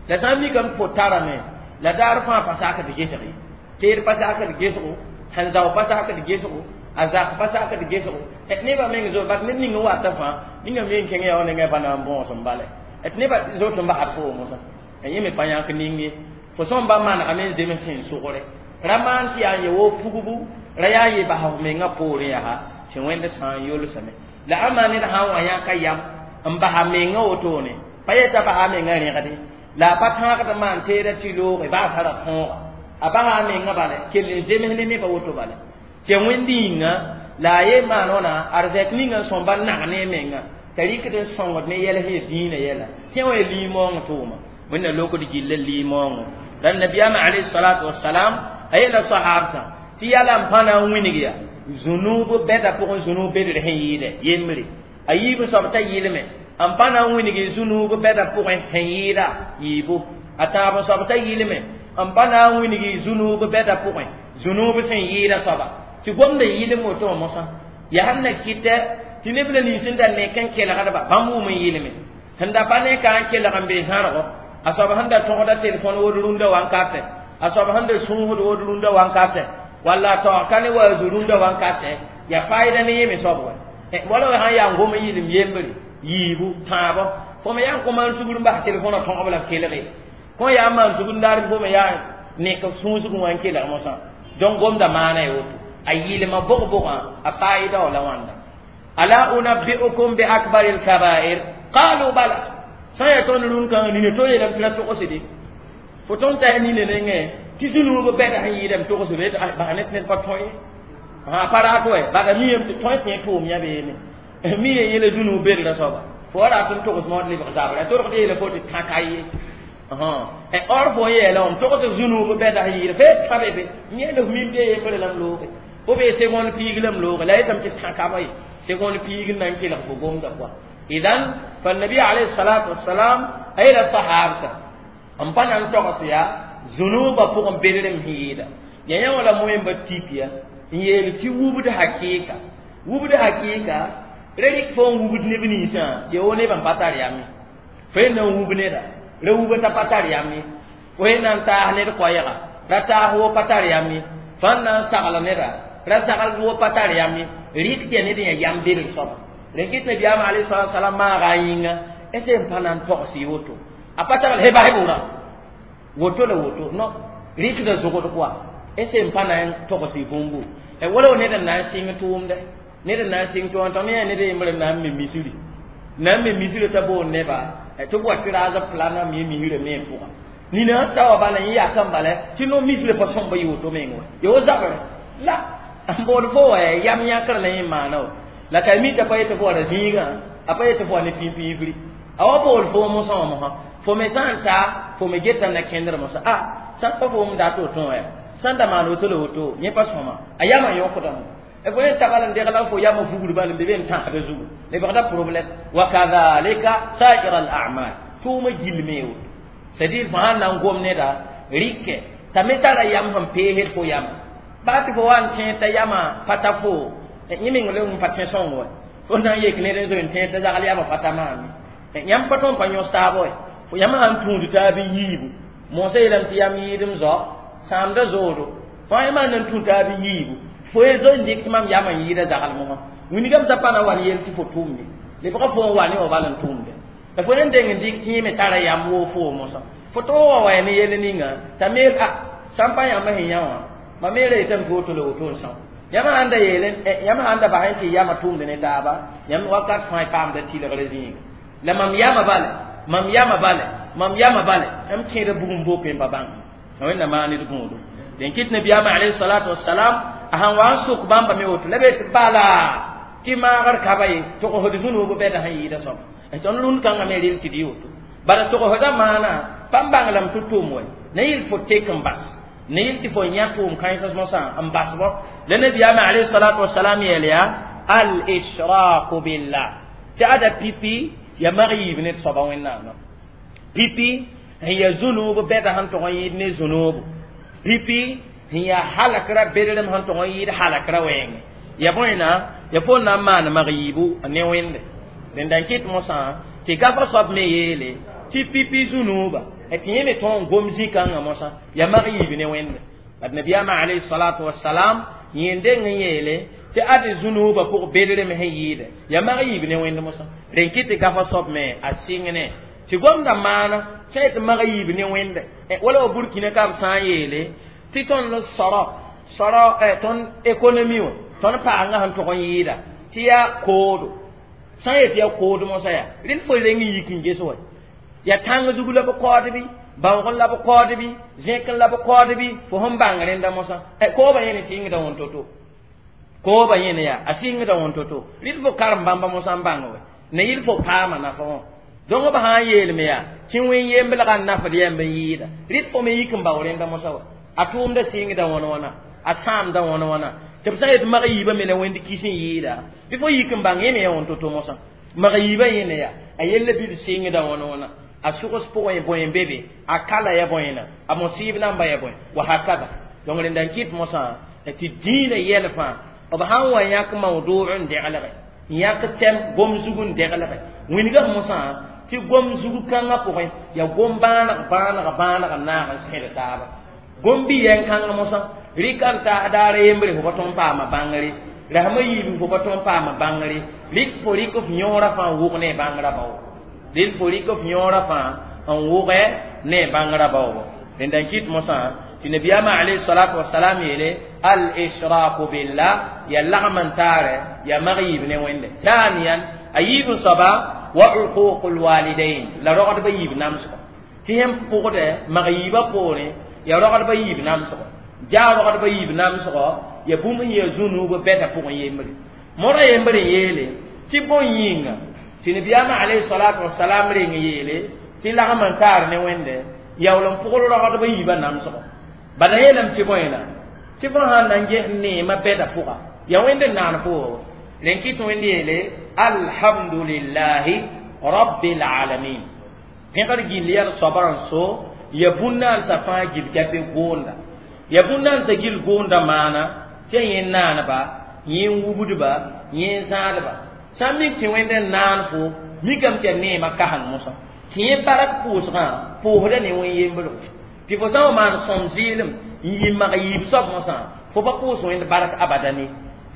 la sã n mikame tɩ fo tarame la daar fãa pa sakd gesg ye teed pa sakd gesgo sẽn zao pa sakd gesgo a zak pa sakd gesgo nebã meng zo bat ned ning n wata fãa ninga me n kẽng ya wa nengã pa na n bõos n bala tɩ nebã zot n basd fo mosã yẽ me pa yãk ning ye fo sõm ba manegame n zems sẽn sʋgre ra maan tɩ yaa n ye wo pugbu ra yaa n ye bas f mengã poorẽ yaa tɩ wẽnd sã n yolsame la ãmba ned sã n wa yãka yam n basa mengã wotone pa yeta basa mengã rẽgde la a pa tãagd maan teeda tɩ looge baa tara tõoga a basa mengã bala kell n zems ne nebã woto bala tɩ wẽnd yĩnga la a ye maan wãna arzɛk ninga n sõmba nag ne menga t'a rɩkd n sõngd ne yɛls ya dĩinã yɛla tẽ wã ya liimoong tʋʋma wẽnna lokd gilla liimoongo la nabiyaamã alayhi salatu wasalam a yeela sahabsã tɩ yala n pa na n wĩneg ya zũnuub bɛda pʋgẽ zũnuub bedr sẽn yɩɩdɛ yembre a yiib soab t'a yɩlme n pa na n wĩneg zũnuub bɛda pʋgẽ sẽn yɩɩda yiibu a tãab soab t'a yɩlme n pa na n wĩneg zũnuub bɛda pʋgẽ zũnuub sẽn yɩɩda soaba tɩ gomda yɩlem woto wã mosã yaa sẽn na kɩtɛ tɩ neb la nins n da nek n kelgdba bãmb wʋm n yɩlme sẽn da pa ne ka n kelg n be zãrgo a soab sẽn da tõgda telefon wod rũndã wankatɛ a soab sẽn da sũusd wod rũndã wankatɛ walla a taoog ka ne wa zu rũndã wankatɛ yaa faɩda ne yẽ me soab wa wala wa sãn yaa n gom n yɩlem yembre yiibu tãabɔ fo me yaa n kõ maan sugr n bas telefõnã tõgb la b kelge kõ yaa n maan sugr n daar fo me yaa nek sũusg wã n kelg mosã donc gomda maana ye woto a yɩlma bʋg-bʋgã a faɩda wa la wãnda ala unabbi'ukum bi akbari lkabair qalu bala sã n yaa tõnd rũn-kãngã nina to yeelame tɩ ra togsde fo tõnd t'a nina nengẽ tɩ zũnuub bɛda sẽn yɩɩdame togsbe bas ne tɩ ned pa tõe ye a pa raat wɛ bala miyame tɩ tõe tẽ tʋʋm yã beene mi ye yẽla zũnuub bedra soaba fo wa rat n togs mood lebg zabra torgd yeela fo tɩ tãka ye or fo yeela wãm togs zũnuub bɛda sẽn yɩɩd fe tã be be yẽela f mim tɩ yembre lame looge fo bee segonde piig lame looge la yetame tɩ tãkaba ye segonde piig n na n kelg fo gomda pʋa idan فالنبي عليه الصلاة والسلام أين الصحابة n pa na n togs yaa zũnuubã pʋgẽ bedrem sẽn yɩɩda ya yã wã la moẽmba tip ya n yeel tɩ wubd hakɩɩka wubd hakɩɩka ra rɩk fo n wubd neb ninsã tɩ ya wo nebã n pa tar yame fo yẽ na n wub neda Ra wubã t'a pa tar yam ye. Fo yẽ na n taas ned koɛɛga, ra taas wo pa tar yam ye. Fãn na n sagl neda, ra sagl wo pa tar yam ye. Rɩk tɩ yaa ned n yaa yam bedg soaba. Rẽn kɩt nabiyaamã alayhi salatu wasalam maaga a yĩnga ese n pa na n togs woto. A pa tagl he bas wʋra woto la woto no rɩkda zogd koa ese n pa na n togs bũmbu. Wala wa ned n na n sɩng tʋʋmdɛ, ned n na n sɩng tʋʋmdɛ tõnd yã ned yembr n na n me misri, na n me misrã t'a boond neba tɩ b wa tɩ raasb plana me misrã me pʋga. Nina ta wa bala yẽ yakã bala tɩ no misrã pa sõmba yɩ woto meng wa ya wo zabrɛ la n bood fo wa yam yãkr la yẽ maana wa la ka mi t'a pa yetɩ fo wa ra zĩigã, a pa yetɩ fo wa ne pĩn-pĩifri. A wa bool fo mosã wã mosã fo me sã n ta fo me geta na kẽndr mosã a sã n pa foom dat woto wã ya sãn da maan woto la woto yẽ pa sõma a yamã yõkdame. Fo yẽ tabal n degla fo yamã fugr bal n be be n tãsda zugu lebgda problème. Wa kadhalika sa'ir al a'mal tʋʋmã gill me woto. C'est-à-dire fo sãn na n gom neda rɩkɛ t'a me tara yam sẽn peesd fo yamã baa tɩ fo wa n tẽed t'a yamã pa ta fo yẽ meng le n pa tẽ sõng wa fo na n yek ned n zoe n tẽed t'a zagl yamã pa ta maam yãmb pa tõnd pa yõs taab wa fo yãmb sãn tũud taab n yiibu mosã yeelame tɩ yam yɩɩdem zao sãamda zoodo fo yãmb sãn na n tũ taab n yiibu fo ye zo n dɩk tɩ mam yamã n yɩɩda zagl mosã wingame t'a pa na wa n yel tɩ fo tʋʋmde lebga fo n wa ne wa bal n tʋʋmde la fo n deng n dɩk tɩ yẽ me tara yam woo fo mosã fo tõog wa wa ne yell ninga t'a meel a sã n pa yãmb sẽn yã wã mam me ra yetame tɩ woto la woto n são. Yãmb sãn da yeele yãmb sãn da basẽ tɩ yamã tʋʋmd ne taaba yãmb wakat fãa paamda tɩlgrã zĩiga la mam yamã bale mam yamã bale mam yamã bale yãmb kẽeda bugum boke n pa bãng wẽnnaam maan ned gũudu. Dẽn kɩt nabiyaamã alayhi salatu wasalam a sãn wa n sʋk bãmba me woto la be tɩ bala tɩ maagr kaba ye togsd zũnuub bɛda sẽn yɩɩda soaba tõnd rũnd kãngã me rel tɩ d woto bala togsda maana pa n bãng lame tɩ tʋʋm wa na yɩl fo tek n bas na yɩl tɩ fo yã tʋʋm kãensã mosã n basbɔ la nabiyaamã alayhi salatu wasalam yeel yaa al ishraku billah tɩ ada pipi ya mag yiib ned soaba wẽnnaamã pipi sẽn yaa zũnuub bɛda sẽn tog n yɩɩd ne zũnuubu pipi sẽn yaa halakra bedrem sẽn tog n yɩɩd halakra wɛɛngẽ ya bõena ya fo na n maan mag yiibu ne wẽnde rẽnda n kɩt mosã tɩ gafa soab me yeele tɩ pipi zũnuuba tɩ yẽ me tõog n gom zĩ-kãngã mosã ya mag yiib ne wẽnde ad nabiyaamã alayhi salatu wasalam yẽ deng n yeele tɩ ad zũnuubã pʋg bedrem sẽn yɩɩdɛ ya mag yiib ne wẽnd mosã rẽn kɩt tɩ gafa soab me a sɩng ne tɩ gomda maana sã yetɩ mag yiib ne wẽnde wala wa burkina ka b sã n yeele tɩ tõnd sɔrɔ sɔrɔ tõnd économie wã tõnd paangã sẽn tog n yɩɩda tɩ yaa koodo sã n yetɩ yaa kood mosã yaa rẽnd fo reng n yik n ges wa ya tãng zug la b kaood bɩ bãoog la b kaood bɩ zẽk la b kaood bɩ fo sẽn bãng rẽnda mosã koobã yẽne sɩngda wõn to-to koobã yẽne yaa a sɩngda wõn to-to rɩd fo karem bãmba mosã n bãng wa ne yɩl fo paama nafa wã donc b sã n yeelme yaa tɩ wẽn yemblgã n nafd yãmb n yɩɩda rɩd fo me yik n bao rẽnda mosã wa a tʋʋmda sɩngda wãn wãna a sãamda wãn wãna tɩ b sã n yet mag yiibã me la wẽnd kis n yɩɩda bɩ fo yik n bãng yẽ me ya wõn to-to mosã mag yiibã yẽne yaa a yella bɩ d sɩngda wãn wãna a sʋgs pʋgẽ bõe n be be a kala ya bõena a mosɩɩb namba ya bõe wa hakada donc rẽnda n kɩt mosã tɩ dĩinã yɛl fãa b sãn wa yãk mawdʋʋg n deglge n yãk tɛm gom zug n deglge wĩnga mosã tɩ gom zug kãngã pʋgẽ ya gom bãaneg bãaneg bãaneg n naag n sẽd taaba gom bɩ yɛn kãng mosã rɩka n taas daar yembre fo pa tõnd paama bãngre rasmã yiib fo pa tõnd paama bãngre rɩk fo rɩk f yõorã fãa n wʋg ne bãngrã bao rɩl fo rɩk f yõorã fãa n wʋgɛ ne bãngrã baoobo rẽnda n kɩt mosã tɩ nabiyaamã alayhi salatu wasalam yeele al ishraku billah ya lagm n taarɛ ya mag yiib ne wẽnde thaniyan a yiib n soaba wa uququ lwalidain la rogdbã yiib namsgo tɩ yẽmb pʋgdɛ mag yiibã poorẽ ya rogdbã yiib namsgo jaa rogdbã yiib namsgo ya bũmb sẽn yaa zũnuub bɛda pʋgẽ yembre modã yembre n yeele tɩ bõn yĩnga tɩ nabiyaamã alayhi salatu wasalam reng yeele tɩ lagm n taar ne wẽnde yaool n pʋgl rogdbã yiibã namsgo bala yeelame tɩ bõena tɩ fõ sãn na n ges neemã bɛda pʋga ya wẽnd n naan fo rẽn kɩt wẽnd yeele alhamdulillahi rabbil alamin pẽgr gill yaa d soabã n so ya bũn-naansã fãa gil gape goonda ya bũn-naansã gil goonda maana tɩ yẽ naanba yẽ wubdba yẽ zãadba sã n mik tɩ wẽnd n naan fo mikame tɩ yaa neemã kaseng mosã Tɩ yẽ bark pʋʋsgã pʋʋsda ne wẽn yembrgo tɩ fo sã n wa maan sõm zɩɩlem n yɩ mag yiib soab mosã fo pa pʋʋs wẽnd bark abadan ye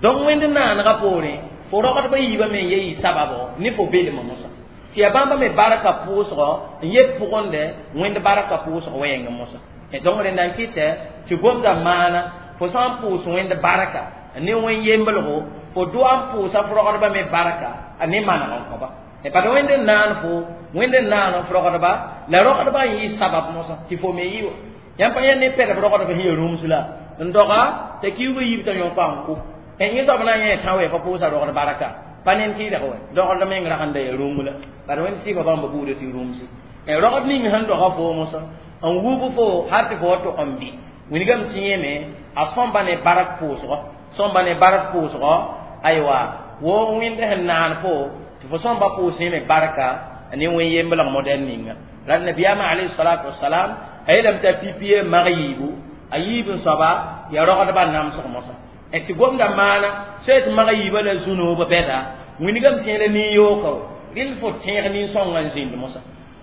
donc wẽnd naanegã poorẽ fo rogdbã yiibã me n ye yɩ sababo ne fo belmã mosã tɩ yaa bãmba me barka pʋʋsgɔ n yet pʋgẽnde wẽnd barka pʋʋsg wɛɛngẽ mosã donc rẽnda n kɩtɛ tɩ gomda maana fo sã n pʋʋs wẽnd barka ne wẽn yemblgo fo doa n pʋʋsa f rogdbã me barka ne maneg n kõba bad wẽnd n naan fo wẽnd n naan f rogdba la rogdbã n yɩ sabab mosã tɩ fo me yɩ wa yãmb pa yẽ ne pɛlb rogdb sẽn ya rũms la n doga t'a kiuugã yiib t'a yõka n kʋ yẽ soab na n yẽ tã wɛ pa pʋʋsa rogd barka pa ned tɩɩdg wɛ dogd meng rag n da ya rũm la bad wẽnd sɩɩba bãmba buudã tɩ rũmsi rogd ning sẽn doga fo mosã n wub fo hal tɩ fo wa tog n bɩ wilgame tɩ yẽme a sõmba ne bark pʋʋsgɔ sõmba ne bark pʋʋsgɔ aywa wo wẽnd sẽn naan fo tɩ fo sõmba pʋʋs yẽme barka ne wẽn yemblg modɛl ninga la nabiyaamã alayhi salatu wasalam a yeelame t'a pipie mag yiibu a yiib n soaba ya rogdbã namsg mosã tɩ gomda maana sã tɩ mag yiibã la zu-noobã bɛda wilgame tẽ la nin-yooka rɩl fo tẽeg nin-sõngã n zĩnd mosã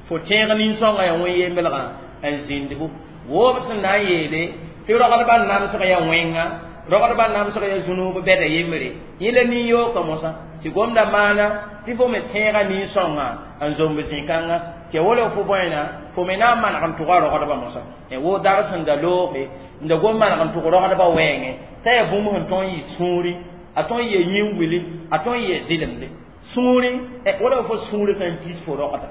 fo tẽeg nin-sõngã yaa wẽn yemblgã n zĩndbu woob sẽn na n yeele tɩ rogdbã namsg yaa wẽnga rogdbã namsg yaa zu-noob bɛda yembre yẽ la nin-yooka mosã tɩ gomda maana tɩ fo me tẽega nin-sõngã n zomb zĩ-kãngã tɩ wala fo bõena fo me na n maneg n tʋga rogdbã mosã wo dar sẽn da looge n da gom maneg n tʋg rogdbã wɛɛngẽ t'a yaa bũmb sẽn tõe n yɩ sũuri a tõe n yɩ yĩn-wili a tõe n yɩ zɩlemde sũuri wala fo sũurã sã n kis fo rogda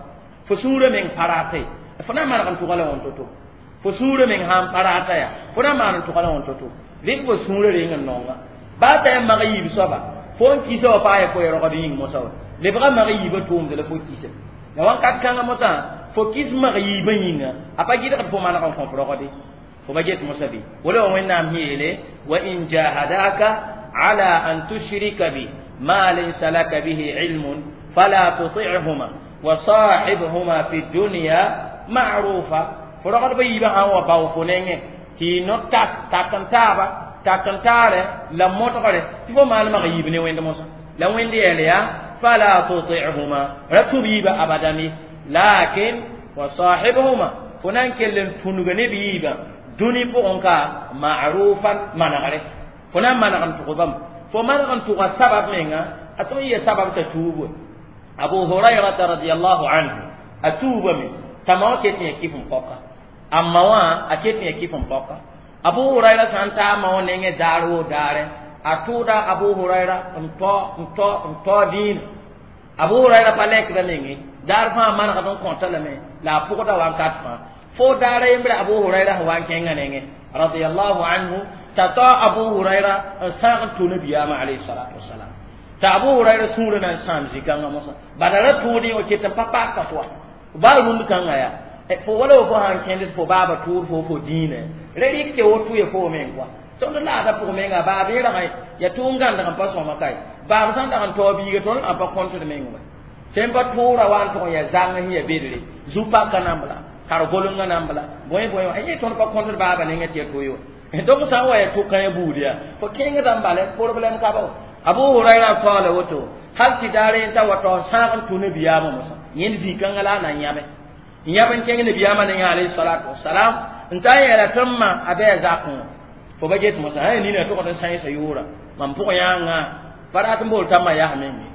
fo sũurã meng pa rata ye fo na n maneg n tʋga la wãn to-to fo sũurã meng sã n pa rata yaa fo na n maan n tʋga la wãn to-to rɩk fo sũurã reng n nonga baa t'a yaa mag yiib soaba fo n kisa wa paa ya fo ya rogd yĩng mosã wa lebga mag yiibã tʋʋmd la fo kisa la wãnkat kãngã mosã fo kis mag yiibã yĩnga a pa gɩdgd fo maneg n kõ f rogde fo ba get mosã bɩ wala wa wẽnnaam sẽn yeele wa in jahadaka ala an tushrika bi ma laysa laka bihi ilmun fala tuti'huma wa sahibhuma fi dunya ma'rufa fo rogdbã yiibã sã n wa bao fo nengẽ tɩ y no tak tak n taaba tak n taare la modgre tɩ fo maan mag yiib ne wẽnd mosã la wẽnd yɛl yaa fala tuti'huma ra tũb yiibã abadan ye lakin wa sahibhuma fo na n kell n tũnga ne b yiibã dũni pʋgẽ ka ma'rufan manegre fo na n maneg n tʋg bãmb fo maneg n tʋga sabab menga a tõe n yɛ sabab t'a tuub abu hurairata radiallahu anhu a tuubame t'a ma wã ket n ya kɩf n paoka a ma wã a ket n ya kɩf n paoka abu huraira sã n taa ma wã nengẽ daar woo daare a tʋʋda abu huraira n tao n tao n tao dĩinã abu huraira pa lɛkda menge daar fãa manegd n kõta lame la a pʋgda wakat fãa fo daara yembre abu huraira sẽn wa n kẽngã nengẽ radiallahu anhu t'a tao abu huraira n sãag n tʋ nabiyaamã alayhi salatu wasalam t'a abu huraira sũurã na n sãam zĩ-kãngã mosã bala ra tʋʋd wa ket n pa paaka fo baa rũnd kãngã yaa fo wala fo sãn kẽnd fo baaba tʋʋd fo fo dĩinã ra rɩk tɩ woto ya fo meng koa tõnd laada pʋg menga baab yẽ rag ya tʋʋm gãndg n pa sõma kae baab sãn dag n taoog biiga tõnd n pa kõntd meng wa sẽn pa tʋʋra wa n tʋg n ya zãng sẽn ya bedre zu-paka nambla kar golenga nambla bõe bõe wã yẽ tõnd pa kõntd baaba nengẽ tɩ ya toe wa donc sã n wa ya tʋka ya buud yaa fo kẽngdã n bala problème ka ba wa abu huraira taola woto hal tɩ daar yẽ t'a wa tao sãag n tʋ nabiyaamã mosã yẽnd zĩ-kãngã la a na n yãme n yãb n kẽng nabiyaamã nengã alayhi salatu wasalam n ta n yɛla tɩ n ma a bɩ a zakẽ wã fo ba get mosã sã nina tʋgd n sãensa yʋʋra mam pʋgẽ yãnga pa rat n bool t'a ma yaa menge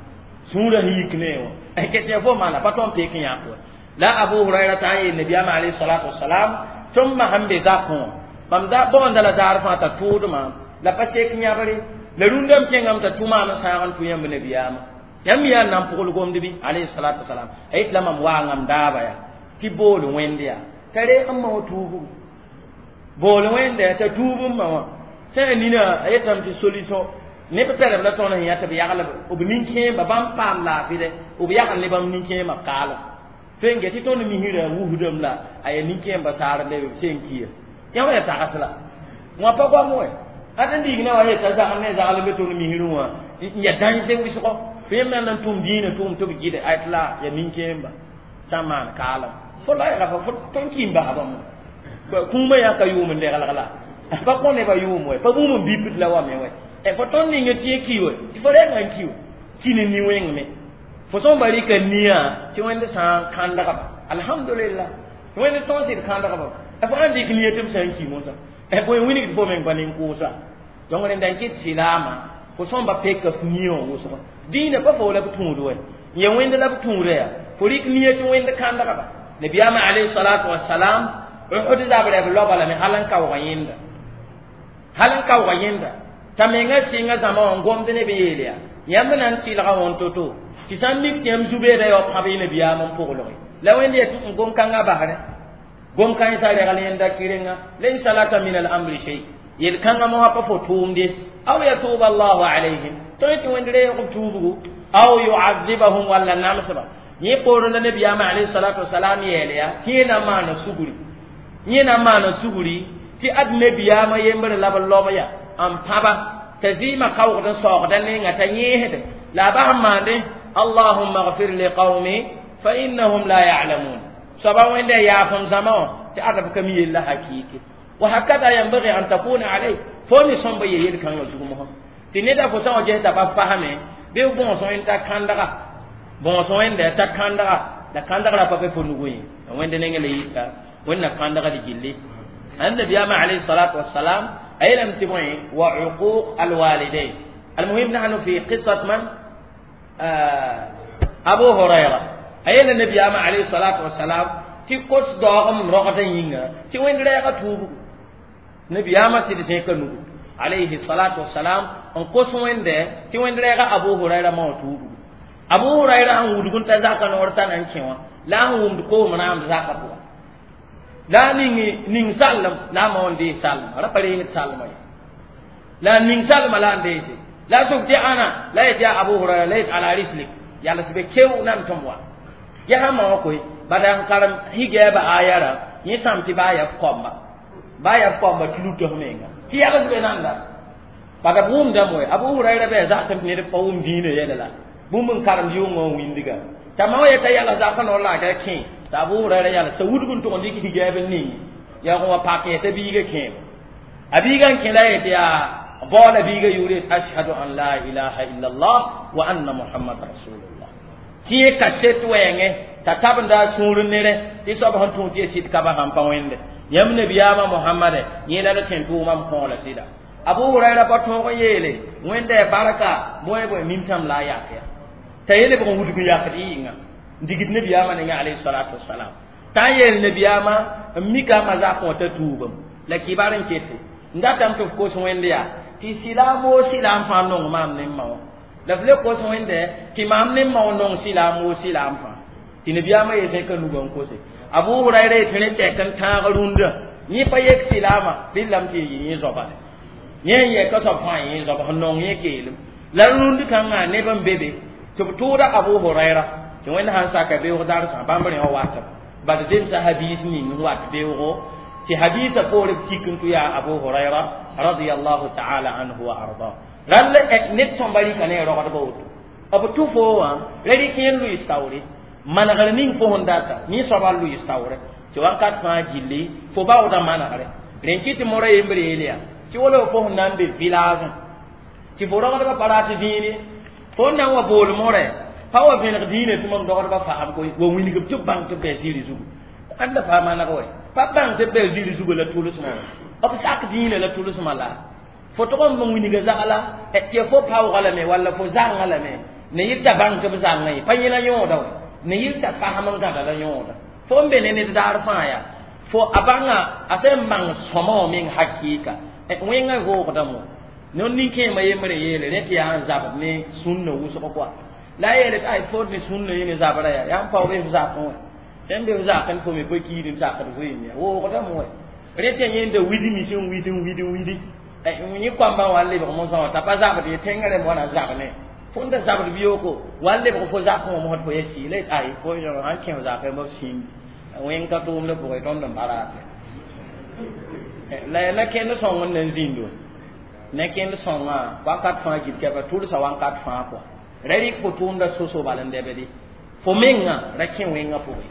sũurã sẽn yik ne wã ket ya fo maana pa tõnd peek n yãk wa la abu huraira t'a n yeel nabiyaamã alayhi salatu wasalam tɩ n ma sẽn be zakẽ wã mam da bõonda la daar fãa t'a tʋʋdmã la pa sek yãbre la rũndame kẽngame t'a tʋ maam n sãag n tʋ yãmb nabiyaamã yãmb yaa n na n pʋgl gomd bɩ alayhi salatu wasalam a yet la mam waangame daaba yaa tɩ bool wẽnd yaa t'a reeg n ma wã tuubu bool wẽnde t'a tuub n ma wã sã nina a yetame tɩ solution neb pɛlb la tõnd sẽn yã tɩ b yagl b nin-kẽemba bãmb paam laafɩ dɛ b yagl ne bãmb nin-kẽemã kaalem tõe n get tɩ tõnd misrã wusdame la a yaa nin-kẽemba saar le b sẽn kia yã wã yaa tags la wã pa goam wɛ ad n diig na wa yeta zagl ne zagl be tõnd misrẽ wã n yaa dãnse wɩsgɔ fo yẽ me na n tʋm dĩinã tʋʋm tɩ b gɩde ayt la yaa nin-kẽemba sã n maan kaalem fo la yaa fo tõnd kɩ n basa bãmb kũumã yaa ka yʋʋm n leglg la pa kõ nebã yʋʋm wɛ pa bũmb n bipd la wa me wɛ fo tõnd ninga tɩ yẽ ki wɛ tɩ fo rɛɛngã n ki wɛ ki ne ni-wẽngme fo sõn ba rɩka nia tɩ wẽnd sã n kãndgba Alhamdulillah wẽnd tõog sɩd kãndgba f ãn dɩk nia tɩ b sã n ki mosã bõe wilgd fo meng pa nin-kʋʋsa donc rẽnda n kɩt sɩlaamã fo sõmba peka f nia wã wʋsg dĩinã pa fo la b tũud wɛ n ya wẽnd la b tũuda yaa fo rɩk nia tɩ wẽnd kãndgba nabiyaamã alayhi salatu wasalam Uhud zabrɛ b loba lame hal n kaoog yẽnda hal n kaoog yẽnda t'a menga sɩnga zãma wã n gomd ne b yeel yaa yãmb na n tɩlga wõn to-to tɩ sã n mik tɩ yãmb zu-beeda yao pãb y nabiyaam n pʋglge la wẽnd yetɩ n gom-kãngã basrẽ gom-kãensã regl yẽnda kɩrenga laysa laka min al-amri shay yel-kãngã mosã pa fo tʋʋmde aw yatuba allahu alayhim tõe tɩ wẽnd reeg b tuubgu aw yuadibahum walla namsba yẽ poorẽ la nabiyaamã alayhi salatu wasalam yeel yaa tɩ yẽ na n maana sugri yẽ na n maana sugri tɩ ad nabiyaamã yembre la b lob ya n pãba t'a zɩɩmã kaoogd n saoogda nenga t'a yẽesde la a bas n maande allahumma gfir liqaumi fa innahum la ya'lamun soaba wẽnda yaaf m zãma wã tɩ ad b ka mi yella hakɩɩke wa hakada yanbaghi an takuna alayh fo ne sõmba ye yel-kãngã zug mosã tɩ neda fo sã wa ges t'a pa fasame bɩ b bõos wẽnd t'a kãndga bõos wẽnda t'a kãndga la kãndgrã pa be fo nugu ye wẽnd neng la yita wẽnna kãndgd gilli النبي عليه الصلاة والسلام أي لم تبعي وعقوق الوالدين المهم نحن في قصة من آه أبو هريرة أي النبي عليه الصلاة والسلام تي قص دوغم رغدا ينغا تي وين ريغا توبو نبي أما سيد سيكا عليه الصلاة والسلام ان قص وين ده تي وين ريغا أبو هريرة ما توبو أبو هريرة أن ودغون تزاكا نورتا نانكيوا لا هم دكو منام زاكا بوا la ning ning sallam la ma won de sallam ra pare ni sallam la ning sallam la ndese la suk ti ana la ya abu hurairah la ala rislik ya la sibe kew nan tomwa ya ha ma ko badan karam hige ba ayara ni sam ti ba ya komba ba ya komba tulu to menga ti ya la sibe nan da bada bum da moy abu hurairah be za kan ne pa um dine yela la bum karam yungo windiga tama ya ta yala za kan la ka kin t'a Abu Huraira yala sa wudg n tʋg n dɩk higɛɛb n ning yaa wa pak t'a biiga kẽem a biiga n kẽ la yetɩ yaa baoola biiga yʋʋr yet ashhadu an la ilaha illallah wa anna muhammad rasulullah tɩ yẽ kaset wɛɛngẽ t'a tabenda a sũur nere tɩ soab sẽn tũud tɩ ya sɩd ka sãn pa wẽnde yãmb nabiyaamã mohamade yẽ la la tẽn tʋʋmã m kõola sɩda Abu Huraira pa tõog n yeele wẽnda barka bõe bõe mimtãm la a yak ya t'a yele bg n wudg n yakd yɩnga digid nabiyaama ninga alayhi salatu wassalam t'a yeel nabiyaama n mika ma zak wã t'a tuubam la kibar n kete n datame tɩ f kos wẽnd yaa tɩ sɩlaam woo sɩlaam fãa nong maam ne m ma wã la f le kos wẽnde tɩ maam ne m ma wã nong sɩlaam woo sɩlaam fãa tɩ nabiyaamã yee zẽka nugã n kose Abu Huraira yetɩ rẽ tɛk n tãag rũndã yẽ pa yek sɩlaamã rɩlame tɩ yẽ zoaba yẽ n yɛka soab fãa yẽ zoaba sẽn nong yẽ keelem la rũnd kãngã neb n be be tɩ b tʋʋda Abu Huraira tɩ wẽnd sãn saka beoog darsã bãmb rẽ wã watam bad zemsa hadis ning n wat beoogo tɩ hadisa poore b tik n tʋ yaa Abu Huraira radiyallahu ta'ala anhu wa arda rall ned sõmba rɩka ne rogdba woto b tʋ fo wã ra rɩk yẽ lʋɩ saoore manegr ning fo sẽn data yẽ soaba lʋɩ saoore tɩ wakat fãa gilli fo baoodã manegre rẽn kɩ tɩ mora yembre yeel yaa tɩ wala fo sẽn na n be village tɩ fo rogdbã pa rat zĩine fo n na n wa bool morɛ pa wa vẽneg dĩinã tɩ mam dogdbã fasem koe wa wilg tɩ b bãng tɩ b bɩ ziiri zugu ãnda pa maneg wɛ pa bãng tɩ b bɩ ziiri zugu la tʋlsmã wɛ b sak dĩinã la tʋlsmã la fo tʋg n wilga zagla tɩ ya fo paoogã lame walla fo zãngã lame ne yɩl t'a bãng tɩ b zãngã ye pa yẽla yõoda wɛ ne yɩl t'a fasem n gãda la yõoda fo n be ne ned daar fãa yaa fo a bãnga a sẽn bãng sõma wã meng hakɩɩka wẽngã vʋʋgdame no nin-kẽemã yembre yeele rẽ tɩ yaa n zabd ne sũnna wʋsg koa la yeele tɩ ay fo ne sũnna yẽ ne zabra yaa yaa n paoog f zakẽ wɛ sẽn be f zakẽ fo me pa kiid n sakd zoeem ya woogdame wɛ rẽ tɩ yẽnda widmi sẽn wid n wid n widi yẽ koambã wa n lebg mosã wã t'a pa zabd ye tẽngã rẽmb wã na zab ne fo n da zabd biyooko wa n lebg fo zakẽ wã mosd fo ya sɩɩ la yet ay fo sãn kẽ f zakẽ b sĩndi wẽng ka tʋʋmdã pʋgẽ tõnd n pa raate la ya na kẽnd sõng n na n zĩnd wã ne kẽnd sõngã wakat fãa gil kɛpa tʋlsa wakat fãa pʋga ra rɩk fo tʋʋmda soso bal n dɛbde fo mengã ra kẽ wẽngã pʋgẽ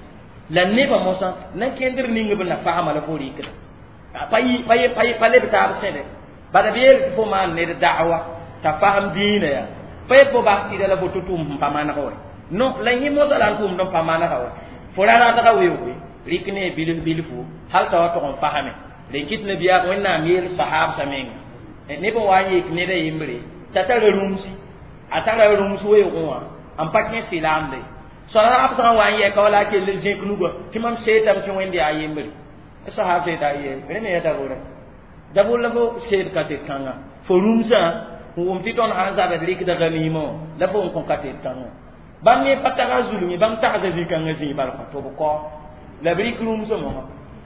la nebã mosã na kẽndr ning b na fasma la fo rɩkda pa pa leb taab sẽde bala b yeel tɩ fo maan ned da'wa t'a fasem dĩinã yaa pa yet fo bas sɩda la fo tɩ tʋʋm sẽn pa maneg wɛ non la yẽ mosã la n tʋʋmd n pa manega wɛ Fo ra ratga weooge rɩk ne bilf bilfu hal t'a wa tʋg n fasame rẽn kɩt nabiyaam Wẽnnaam yeel sahaabsã menga neb n wa n yek ned a yembre t'a tara rũmsi a tara rũms weoogẽ wã n pa kẽ sɩlaamde sahaab sã n wa n yɛka wala a kell n zẽk nugã tɩ mam seetame tɩ Wẽnd yaa yembre sahaab seeta ye rẽ me yaa dabʋrã dabʋr la fo seed kaset kãnga fo rũmsã n wʋm tɩ tõnd sãn zabd rɩkda ganimã la fo n kõ kaset kãngã bãmb ne pa tag a zulum ye bãmb tagsda zĩ-kãngã zĩig bal kõ tɩ b kao la b rɩk rũmsã mosã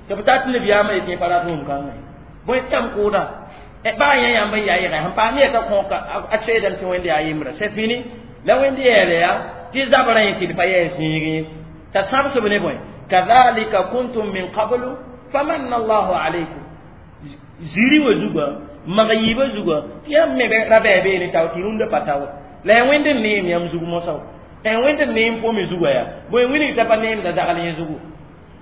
tɩ b tat nabiyaamã yetɩ pa rat wʋm kãngã ye bõe tɩ kʋʋda baa yã yãmb n yaa yɛgɛ sẽn paam yɛta kõ a seedame tɩ Wẽnd yaa yembrã c'est fini la Wẽnd yɛɛle yaa tɩ zabrã yẽ tɩ d pa yɛɛ zĩig ye t'a sãbsb ne bõe kadhalika kuntum min qablu famanna allahu alaykum ziri wã zugã mag yiibã zugã tɩ yãmb me ra bɛɛ beene tao tɩ rũndã pa tao la ya Wẽnd n neem yãmb zug mosã n Wẽnd n neem fo me zugã yaa bõe wilg t'a pa neemda zagl yẽ zugu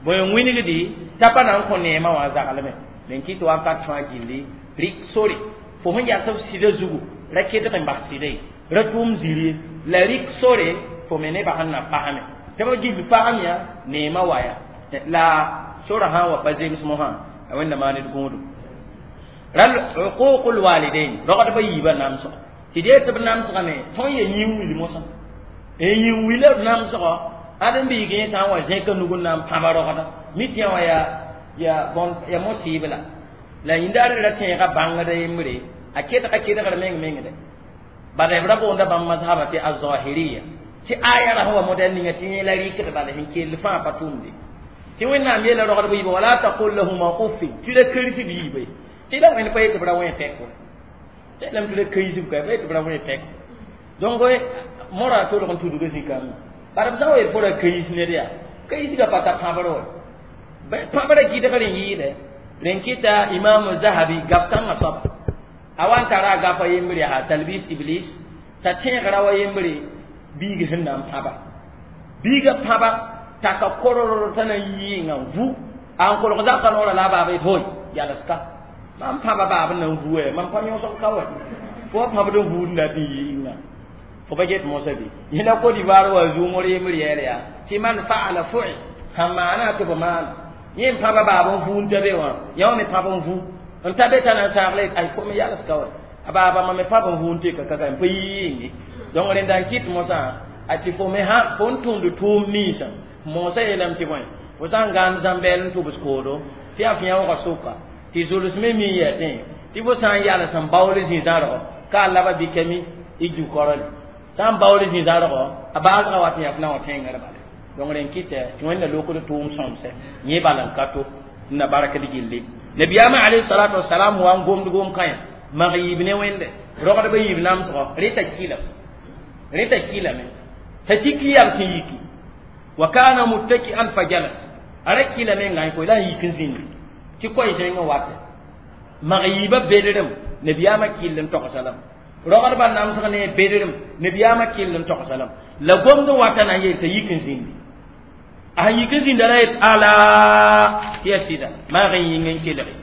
bõe n wilgdi t'a pa na n kõ neemã wã zaglme rẽn kɩ tɩ wakat fãa gilli rɩk sore fo sẽn yas f sɩda zugu ra kedg n bas sɩda ye ra tʋʋm ziri ye la rɩk sore fo me nebã sẽn na pasame tɩ b gill pasam yã neemã waya la sora sã n wa pa zems mosã a Wẽnda maan d gũudum ral uququl walidain rogdbã yiibã namsg tɩ d yet tɩ b namsgame tõnd ya yĩn-wil mosã yĩn-wila b namsgɔ ãd n biig yẽ sã n wa zẽka nug n na n pãba rogda mi tɩ yã wã yaa ya bõn ya mosɩɩb la la yĩndaar ra tẽega bãngda yembre a kedga kedgr meng mengde bala b ra boonda bãmb mazhaba tɩ azahiriya tɩ aya ra sẽn wa modɛl ninga tɩ yẽ la rɩkd bala sẽn kell fãa pa tʋʋmde tɩ Wẽnnaam yeela rogdb yiibã wala taqul lahuma uffin tɩ ra kersi b yiiba ye tɩ la Wẽnd pa yet tɩ b ra wẽ pɛk wa tɩ lame tɩ ra keisb ka pa yet tɩ b ra wẽ pɛk donc mora tolg n tudga zĩ-kãngã bara b sã n wa yet fo ra keis ned yaa keisgã pa ta pãbr wa pãbrã gɩdgr n yɩɩdɛ rẽn kɩta Imam Zahabi gap kãngã soaba a wa n tara a gapa yembre yaa talbis iblis t'a tẽegra wa yembre biig sẽn na n pãba biigã pãba taka koror t'a na n yɩɩngã n vu a n kolg zakã noorã la a baaba yet hoy yalska mam pãba baab n na n vu wɛ mam pa yõsg ka wɛ fo wa pãbd n vuud na tɩ yɩɩngã fo pa get mosã bɩ yẽla Côte d'Ivoire wa zuumr yembr yɛɛl yaa tɩ man faala fu'i sãn maana tɩ b maana yẽ n pãba baab n vu n ta be wã yã wã me pãb n vu n ta be t'a na n sagle ay kom yalska wɛ a baaba ma me pãb n vu n teka kaka n pa yɩɩnge donc rẽnda n kɩt mosã a tɩ fo me sã fo n tũud tʋʋm ninsã moosã yeelame tɩ bõe fo sã n gãand zãmbɛɛl n tʋbs koodo tɩ yaa f yãoogã sʋka tɩ zuls me mi n yɛtẽ tɩ fo sã n yals n baool zĩ-zãrgɔ ka a laba bɩkame y du-korle sã n baool zĩ-zãrgɔ a baasgã wat n yaa f na wã tẽngr bala donc rẽn kɩtɛ tɩ Wẽnda lokd tʋʋm sõmsɛ yẽ bal n ka to n na barkd gilli nabiyaamã alayhi salatu wasalam wa n gomd gom kãyã mag yiib ne Wẽnde rogdbã yiib namsgɔ reta kɩlame reta kɩlame t'a tik yab sẽn yiki wa kana muttaki'an fa jalas a ra kɩla menga koy la n yik n zĩndi tɩ koɛɛ zẽngã wate mag yiibã bedrem nabiyaamã kɩll n togsa lame rogdbã namsg ne bedrem nabiyaamã kɩll n togsa lame la gomd n wata na n yeel t'a yik n zĩndi a sẽn yik n zĩnda ra yet ala tɩ yaa sɩda maag n yĩng n kelge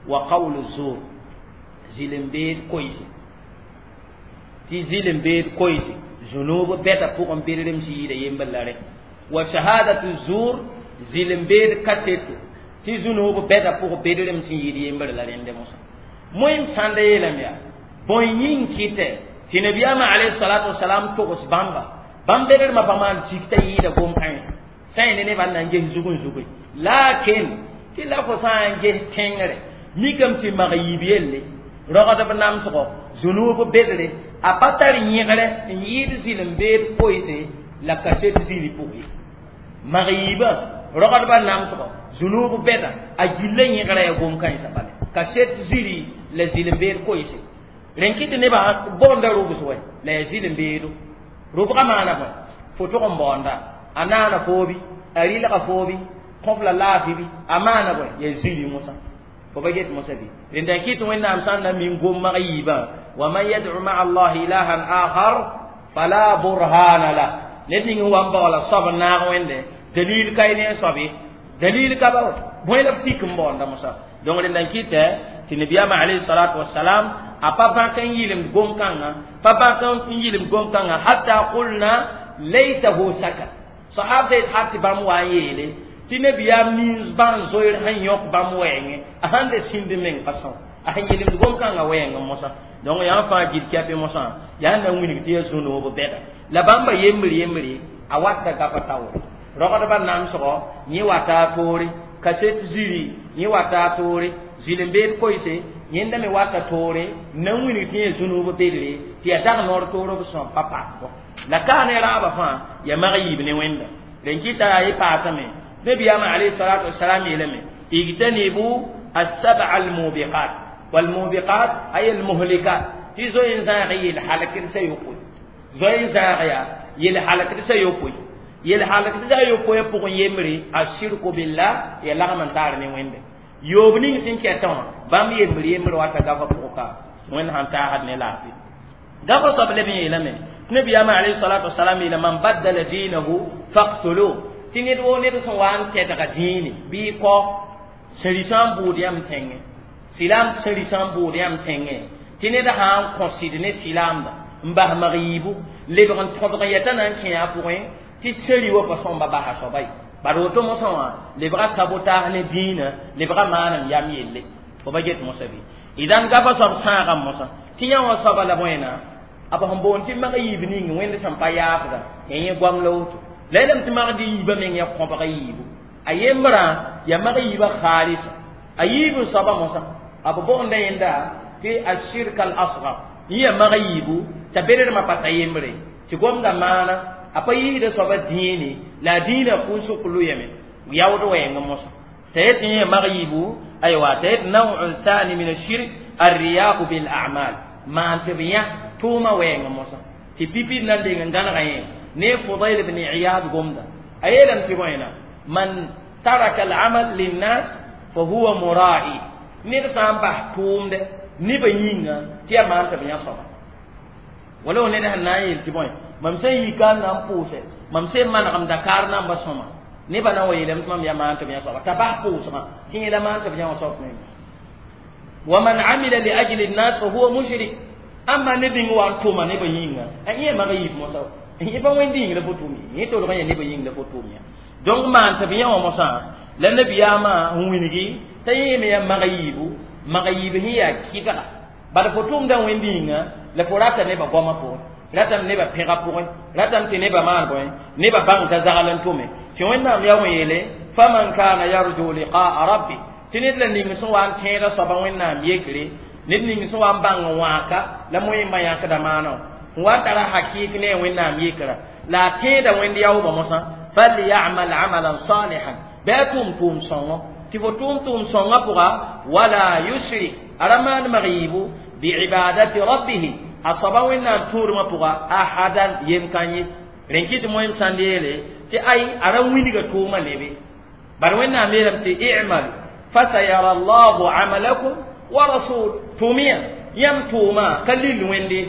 wa qawlu zur zɩlem-beed koɛɛse tɩ zɩlem-beed koɛɛse zunub bɛda pʋgẽ bedrem sẽn yɩɩda yembr la rẽ wa shahadatu zur zɩlem-beed kaseto tɩ zunub bɛda pʋg bedrem sẽn yɩɩd yembr la rẽnde mosã moem sãnda yeelame yaa bõe yĩng kɩtɛ tɩ nabiyaamã alayhi salatu wasalam togs bãmba bãmb bedrmã pa maan sik t'a yɩɩda gom-kãens sã n ne nebã n na n ges zug n zuge lakin tɩ la fo sã n ges tẽngre mikame tɩ mag yiib yelle rogdb namsgɔ zunub bedre a pa tar yẽgre n yɩɩd zɩlem-beed koɛɛse la kaset zĩri pʋgẽ ye mag yiibã rogdbã namsgɔ zunub bɛda a gilla yẽgra ya gom-kãensã bale kaset zĩri la zɩlem-beed koɛɛse rẽn kɩ tɩ nebã boonda rʋbs wɛ la yaa zɩlem-beedo rʋbgã maana bõe fo tʋg n baoonda a naana foobi a rɩlga foobi kõf la laafɩ bɩ a maana bõe yaa zĩri mosã fo pa get mosã bɩ rẽnda n kɩt Wẽnnaam sã n na min gom mag yiibã wa man yad'u ma'a allahi ilahan akhar fala burhana la ned ning n wa n baoola soab n naag Wẽnde dalil ka ye ne soab ye dalil ka ba bõe la b tik n baoonda mosã donc rẽnda n kɩtɛ tɩ nabiyaamã alayhi salatu wasalam a pa bãk n yɩlemd gom-kãngã pa bãk n yɩlemd gom-kãngã hatta qulna laytahu sakat Sahab sẽn hat tɩ bãmb wa n yeele tɩ nabiyaam nins bãn zoeer sẽn yõk bãmb wɛɛngẽ a sãn de sĩnd meng pa sõa a sẽn yelemd gom-kãngã wɛɛngẽ mosã donc yã fãa gil kɛpɩ mosã yaa na wilg tɩ yaa zu-noob bɛda la bãmba yembre yembre a wata gafa taoore rogdbã namsgɔ yẽ wata a toore kaset ziri yẽ wata a toore zɩl-n-beed koɩse yẽnda me wata toore n na n wilg tɩ yẽ zu-noob bedre tɩ yaa dag noor toor b sõm pa pakbɔ la kaa ne raabã fãa yaa mag yiib ne wẽnda rẽn kɩta yaa y paasame nabiyaamã alayhi salatu wasalam yeelame ijtanibu السبع الموبقات والموبقات أي المهلكات tɩ zoe n zãag yel halkd sa yopoe zoe n zãag yaa yel halkd sa yopoe yel halkd sa yopoe pʋgẽ yembre ashirku billah ya lagm n taar ne wẽnde yoob ning sẽn kɛtã wã bãmb yembre yembre wata gafa pʋgẽ ka wẽnd sãn taasd ne laafɩ gafa soab leb n yeelame tɩ nabiyaamã alayhi salatu wasalam yeela man baddala dinahu faqtulu tɩ ned woo ned sẽn wa n tɛdga dĩine bɩ kɔ sẽn risã n bʋʋd yãmb tẽngẽ silaam sẽn risã n bʋʋd yãmb tẽngẽ tɩ ned sã n kõ sɩd ne silaamda n bas mag yiibu lebg n tõdg n yɛta na n kẽ a pʋgẽ tɩ sẽri wa pa sõmba basa soaba ye bad woto mosã wã lebga sabotaas ne dĩinã lebga maanem yam yelle fo ba get mosã bɩ idan gafa soab sãagã mosã tɩ yã wã soaba la bõena b sẽn boond tɩ mag yiib ning wẽnd sẽn pa yaafda ya yẽ goam la woto la yeelame tɩ magd yiibã meng ya kõbg yiibu a yembrã ya mag yiibã khaalisa a yiib n soaba mosã b boonda yẽnda tɩ ashirk al asgar yẽ ya mag yiibu t'a bedrmã pa ta yembre tɩ gomda maana a pa yiisda soaba dĩine la a dĩinã kʋʋsg lʋyame yaood wɛɛngẽ mosã t'a yet yẽ ya mag yiibu aywa t'a yet nawu thani min ashirk الرياء بالأعمال maan tɩ b yã tʋʋmã wɛɛngẽ mosã tɩ pipi na n deng n gãnega yẽ ne Fudayl ibn Iyad gomda a yeelame tɩ bõena man taraka al-amal linnas fa huwa mura'i ned sã n bas tʋʋmdɛ nebã yĩnga tɩ yaa maan tɩ b yã soaba wala ned sẽn na n yeel tɩ bõe mam sẽn yi ka n na n pʋʋsɛ mam sẽn manegem Dakar namba sõma nebã na n wa yeelame tɩ mam yaa maan tɩ b yã soaba t'a bas pʋʋsgã tɩ yẽla maan tɩ b yã wã soab meng ومن عمل لأجل الناس فهو مشرك أما نبي وان توما نبي يينغا أي ما غيب موسى yẽ pa wẽnd yĩng la fo tʋʋm ye yẽ tolg yã nebã yĩng la fo tʋʋm yã donc maan tɩ b yã wã mosã la nabiyaamã n wilgi t'a yẽeme yaa mag yiibu mag yiib sẽn yaa kɩbga bad fo tʋʋmdã wẽnd yĩnga la fo rata nebã goamã pʋgẽ ratame nebã pẽga pʋgẽ ratame tɩ nebã maan bõe nebã bãng t'a zagl n tʋme tɩ wẽnnaam yaa wẽ yeele faman kana yarju liqaa rabbi tɩ ned la ning sẽn wa n tẽeda soaba wẽnnaam yekre ned ning sẽn wa n bãng n wãaka la moẽmbã yãkda maana wã wa tara hakik ne wẽnnaam yekra la a tẽeda wẽnd yaoobã mosã falyamal amalan salihan bɩ a tʋʋm tʋʋm sõngo tɩ fo tʋʋm tʋʋm sõngã pʋga wala yushrik a ra maan mag yiibu biibadati rabbihi a soaba wẽnnaam tũudmã pʋga ahadan yem kan ye rẽn kɩ tɩ moẽm sãnd yeele tɩ ay a ra wilga tʋʋmã lebe bad wẽnnaam yeelame tɩ i'malu fasayara allahu amalakum wa rasul tʋʋmyã yãmb tʋʋmã ka lil wẽnde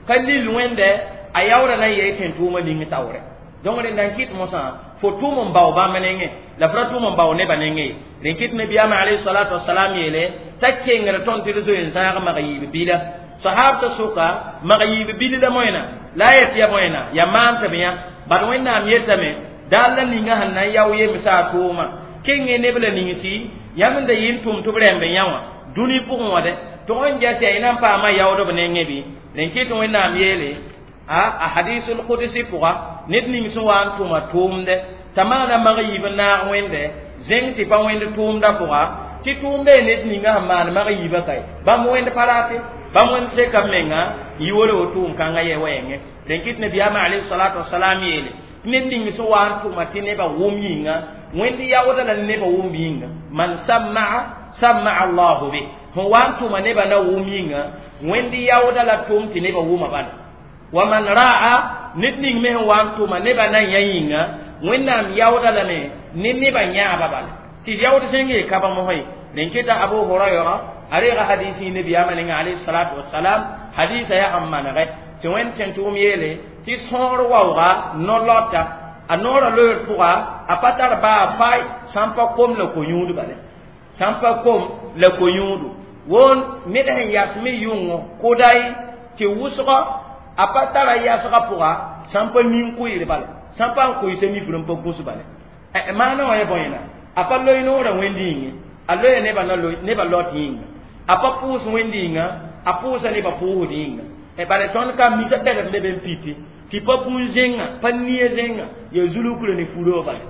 ka lil wẽnde a yaoora na n yɛɛ tẽn tʋʋmã ning taoorɛ donc rẽnda n kɩt mosã fo tʋʋm n bao bãmb nengẽ la fo ra tʋʋm n bao nebã nengẽ ye rẽn kɩt nabiyaamã alayhi salatu wasalam yeele t'a kengr tõnd tɩ d zoe n zãag mag yiib bila sahabta sʋka mag yiib bil la moẽna la a yet ya moẽna ya maan tɩ b yã bad wẽnnaam yetame daal la ninga sẽn na n yao yemsa a tʋʋma kẽngẽ neb la ninsi yãmb n da yɩ n tʋm tɩ b rẽmb yã wã dũni pʋgẽ wã dɛ tɩ n jas yaa yẽ na n paama yaood b nengẽ bɩ rẽn kɩt wẽnnaam yeele a a hadisul qudsi pʋga ned ning sẽn wa n tʋma tʋʋmdɛ t'a maana mag yiib n naag wẽnde zẽng tɩ pa wẽnd tʋʋmdã pʋga tɩ tʋʋmda ye ned ninga sẽn maan mag yiibã kae bãmb wẽnd pa rate bãmb wẽnd seka b menga yi wala wo tʋʋm kãngã yɛ wɛɛngẽ rẽn kɩt nabiyaamã alayhi salatu wasalam yeele tɩ ned ning sẽn wa n tʋma tɩ nebã wʋm yĩnga wẽnd yaoodã la nebã wʋm yĩnga man sammaa sammaa allahu bih sẽn wa n tʋma nebã na wʋm yĩnga wẽnd yaoodã la tʋm tɩ nebã wʋma bala wa man ra'a ned ning me sẽn wa n tʋma nebã na yã yĩnga wẽnnaam yaoodã lame ne nebã yãaba bala tɩ yaood sẽn yee kaba mosã ye rẽn keta abu hurayra a reega hadisi nabiyaamã ninga alayhi salatu wasalam hadisa yaa sẽn manegɛ tɩ wẽnd sẽn tʋʋm yeele tɩ sõor waooga no-lɔta a noorã loeer pʋga a pa tar baa fay sã n pa kom la ko-yũud bale sã n pa kom la ko-yũudu woon ned sẽn yas me yʋngo kʋday tɩ wʋsgɔ a pa tara yasgã pʋga sã n pa nin-kʋɩɩr bala sã n pa n koɩsa nifr n pa gũs bale maana wã ya bõe a pa loe noorã wẽnd yĩnge a loya nebã na nebã lot yĩnga a pa pʋʋs wẽnd yĩnga a pʋʋsa nebã pʋʋsd yĩnga bala tõnd ka misa bɛdb leb n piti tɩ pa bũn zẽnga pa nia zẽnga ya zulukra ne furã wã bala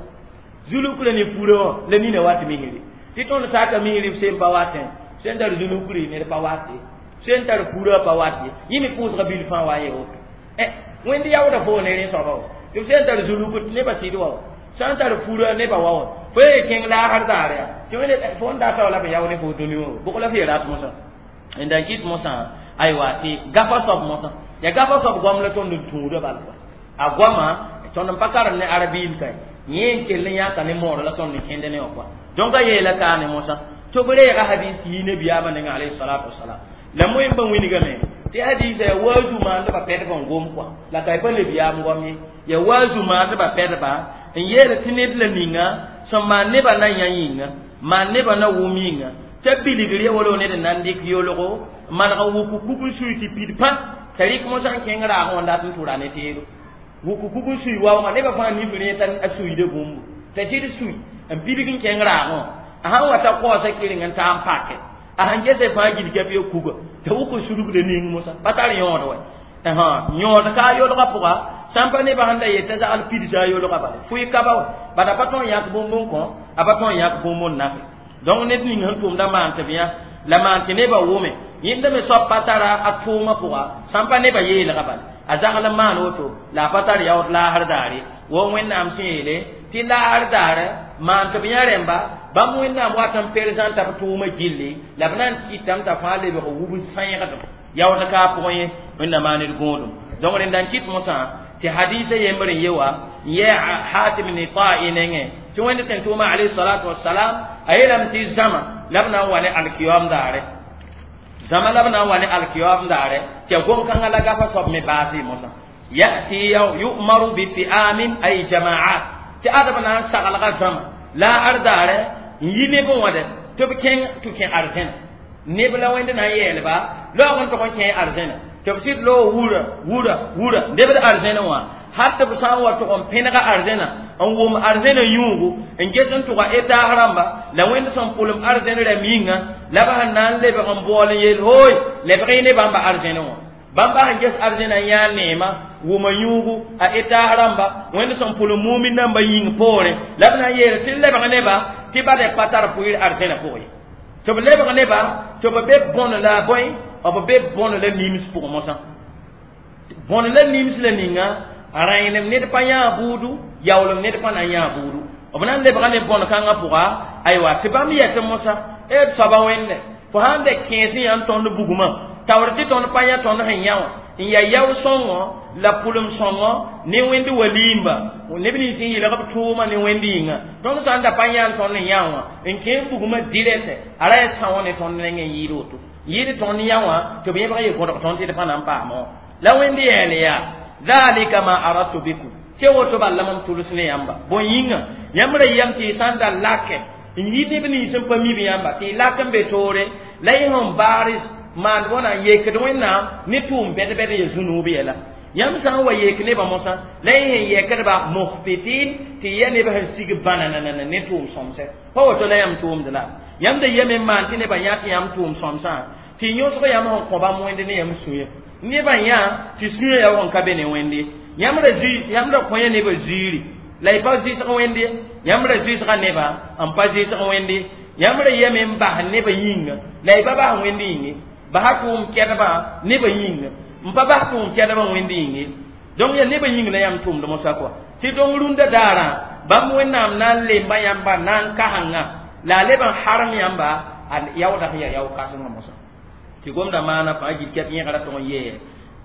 zulukra ne furã wã la nina wat misri tɩ tõnd saka misri b sẽn pa watẽ sẽn tar zulukri ned pa wat ye sẽn tar furã pa wat ye yẽ me pʋʋsga bil fãa wa n ye woto wẽnd yaoodã foo ne rẽ soaba wa tɩ b sẽn tar zulukr nebã sɩd wa wa sã n tar furã nebã wa wa fo ye kẽng laasr daare ya tɩ wẽnd fo n data wa la b yao ne fo dũni wã bʋg la f ye rat mosã n dan kɩt mosã aywa tɩ gafa soab mosã ya gafa soab goam la tõnd n tũudã bal a goama tõnd n pa karem ne arabiil ka yẽ n kell n yãka ne moor la tõnd n kẽnd ne wã kɔa donc a yeela kaa ne mosã tɩ b reega hadis yi nabiyaamã nengã alayhi salatu wasalam la moẽmbã wilgame tɩ hadisa ya waazu maandbã pɛdb n gom kɔa la ka pa lebiyaam goam ye ya waazu maandbã pɛdba n yeela tɩ ned la ninga sẽn maan nebã na yã yĩnga maan nebã na wʋm yĩnga t'a bilgr ya wala ned n na n dɩk yolgo maneg n wʋk kug n sui tɩ pid pã t'a rɩk mosã n kẽng raagẽ wã n dat n tʋra ne teedo wʋk kug n sui waoogã nebã fãa nif rẽ t'a a suiida bũmbu t'a sɩd sui n bilg n kẽng raagẽ wã a sãn wa ta kaoosa kɩreng n taa n pake a sãn gese fãa gil kɛp ya kuga t'a wʋk n sulgda ning mosã pa tar yõod wa yõod ka a yolgã pʋga sãn pa nebã sẽn da yet t'a zagl pidsa a yolgã bala fʋɩ ka ba wa bad a pa tõe n yãk bũmb n kõ a pa tõe n yãk bũmb n nafe donc ned ning sẽn tʋmda maan tɩ b yã la maan tɩ nebã wʋme yẽnda me soab pa tara a tʋʋmã pʋga sãn pa nebã yeelga bala a zagl n maan woto la a pa tar yaood laasr daare wa wẽnnaam sẽn yeele tɩ laasr daare maan tɩ b yã rẽmba bãmb wẽnnaam wat n perezãnta b tʋʋmã gilli la b na n kɩtame t'a fãa lebg wub sãyẽgdem yaood ka a pʋgẽ ye wẽnnaam maan d gõodum donc rẽnda n kɩt mosã tɩ hadisa yembr n ye wa n yɛ hatim ne ta'i nengẽ tɩ wẽnd tẽn tʋʋma alayhi salatu wasalam a yeelame tɩ zãma la b na n wa ne alkiyam daare zãma la b na n wa ne alkiyam daare tɩ ya gom-kãngã la gafa soab me baase mosã yati yu'maru bi fi'amin ay jama'at tɩ adb na n saglga zãma la ar daare n yi neb n wã dɛ tɩ b kẽng tɩ kẽ arzẽna neb la wẽnd na n yeelba laoog n tog n kẽ arzẽna tɩ b sɩd loog wura wura wura lebd arzẽna wã hal tɩ b sã n wa tʋg n pẽnega arzẽna n wʋm arzẽna yũugu n ges n tʋga etaas rãmba la wẽnd sẽn pʋlem arzẽn rɛm yĩnga la b sẽn na n lebg n bool n yeel hooy lebg y ne bãmba arzẽna wã bãmba sẽn ges arzẽna n yãa neema wʋma yũugu a etaas rãmba wẽnd sẽn pʋlem mumin namba yĩng poorẽ la b na n yeel tɩ lebg neba tɩ bad pa tar pʋɩɩr arzẽna pʋgẽ ye tɩ b lebg neba tɩ b be bõn la bõe b be bõn la nims pʋgẽ mosã bõn la nims la ninga rãenem ned pa yãa buudu yaoolem ned pa na n yãa buudu b na n lebga ne bõn-kãngã pʋga aywa tɩ bãmb yɛtɩ mosã d soaba wẽnde fo sãn da kẽes yã n tõnd bugmã taoor tɩ tõnd pa yã tõnd sẽn yã wã n yaa yao sõngo la pʋlem sõngo ne wẽnd waliimba neb nins n yɩlg b tʋʋma ne wẽnd yĩnga tõnd sã n da pa yã n tõnd n yã wã n kẽes bugmã dirɛtɛ a ra yaa sã wã ne tõnd neng n yɩɩd woto yɩɩd tõnd yã wã tɩ b yẽbg ye gõdg tõnd tɩ d pa na n paama wã la wẽnd yɛɛl yaa dhalika ma aradtu bikum tɩ woto bal la mam tʋls ne yãmba bõe yĩnga yãmb ra yam tɩ y sã n da lake n yi neb nins n pa mib yãmba tɩ y lak n be toore la y sẽn baars maand wãna n yekd wẽnnaam ne tʋʋm bɛd-bɛd ya zũnuub yɛla yãmb sã n wa yek nebã mosã la y sẽn yɛkdba muhbitin tɩ y ya neb sẽn sig bãnanana ne tʋʋm sõmsɛ pa woto la yãmb tʋʋmd la yãmb da yame n maan tɩ nebã yã tɩ yãmb tʋʋm sõmsã tɩ yõsg yãmb sẽn kõ bãmb wẽnd ne yãmb sũyã nebã yã tɩ sũyã ya sẽn ka be ne wẽnd ye yãmb ra yãmb ra kõ ya nebã ziiri la y pa zɩsg wẽnd ye yãmb ra zɩsga nebã n pa zɩsg wẽnd ye yãmb ra yame n bas nebã yĩnga la y pa bas wẽnd yĩnge basa tʋʋm kɛdbã nebã yĩnga n pa bas tʋʋm kɛdbã wẽnd yĩnge donc ya nebã yĩng la yãmb tʋʋmd mosã kɔa tɩ dong rũndã daarã bãmb wẽnnaam na n lemba yãmba na n kasengã la a leb n harem yãmba a yaoodã sẽn yaa yao kãsengã mosã tɩ gomda maana fãa gil kɛp yẽgra tʋg n yee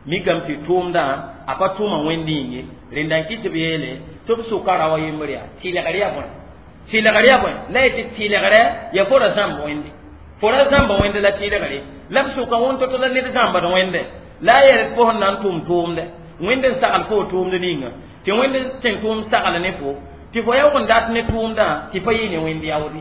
mikame tɩ tʋʋmdã a pa tʋʋma wẽnd yĩnge rẽnda n kɩt tɩ b yeele tɩ b sʋka rao a yembr yaa tɩlgr yaa bõe tɩlgr yaa bõe la yetɩ tɩlgrɛ ya fo ra zãmb wẽnde fo ra zãmba wẽnde la tɩlgre la b sʋka wẽn to-to la ned zãmbd wẽnde la a yɛl fo sẽn na n tʋm tʋʋmdɛ wẽnd n sagl fo tʋʋmd ninga tɩ wẽnd tẽn tʋʋm sagl ne fo tɩ fo yaoog n dat ne tʋʋmdã tɩ pa yɩ ne wẽnd yaoode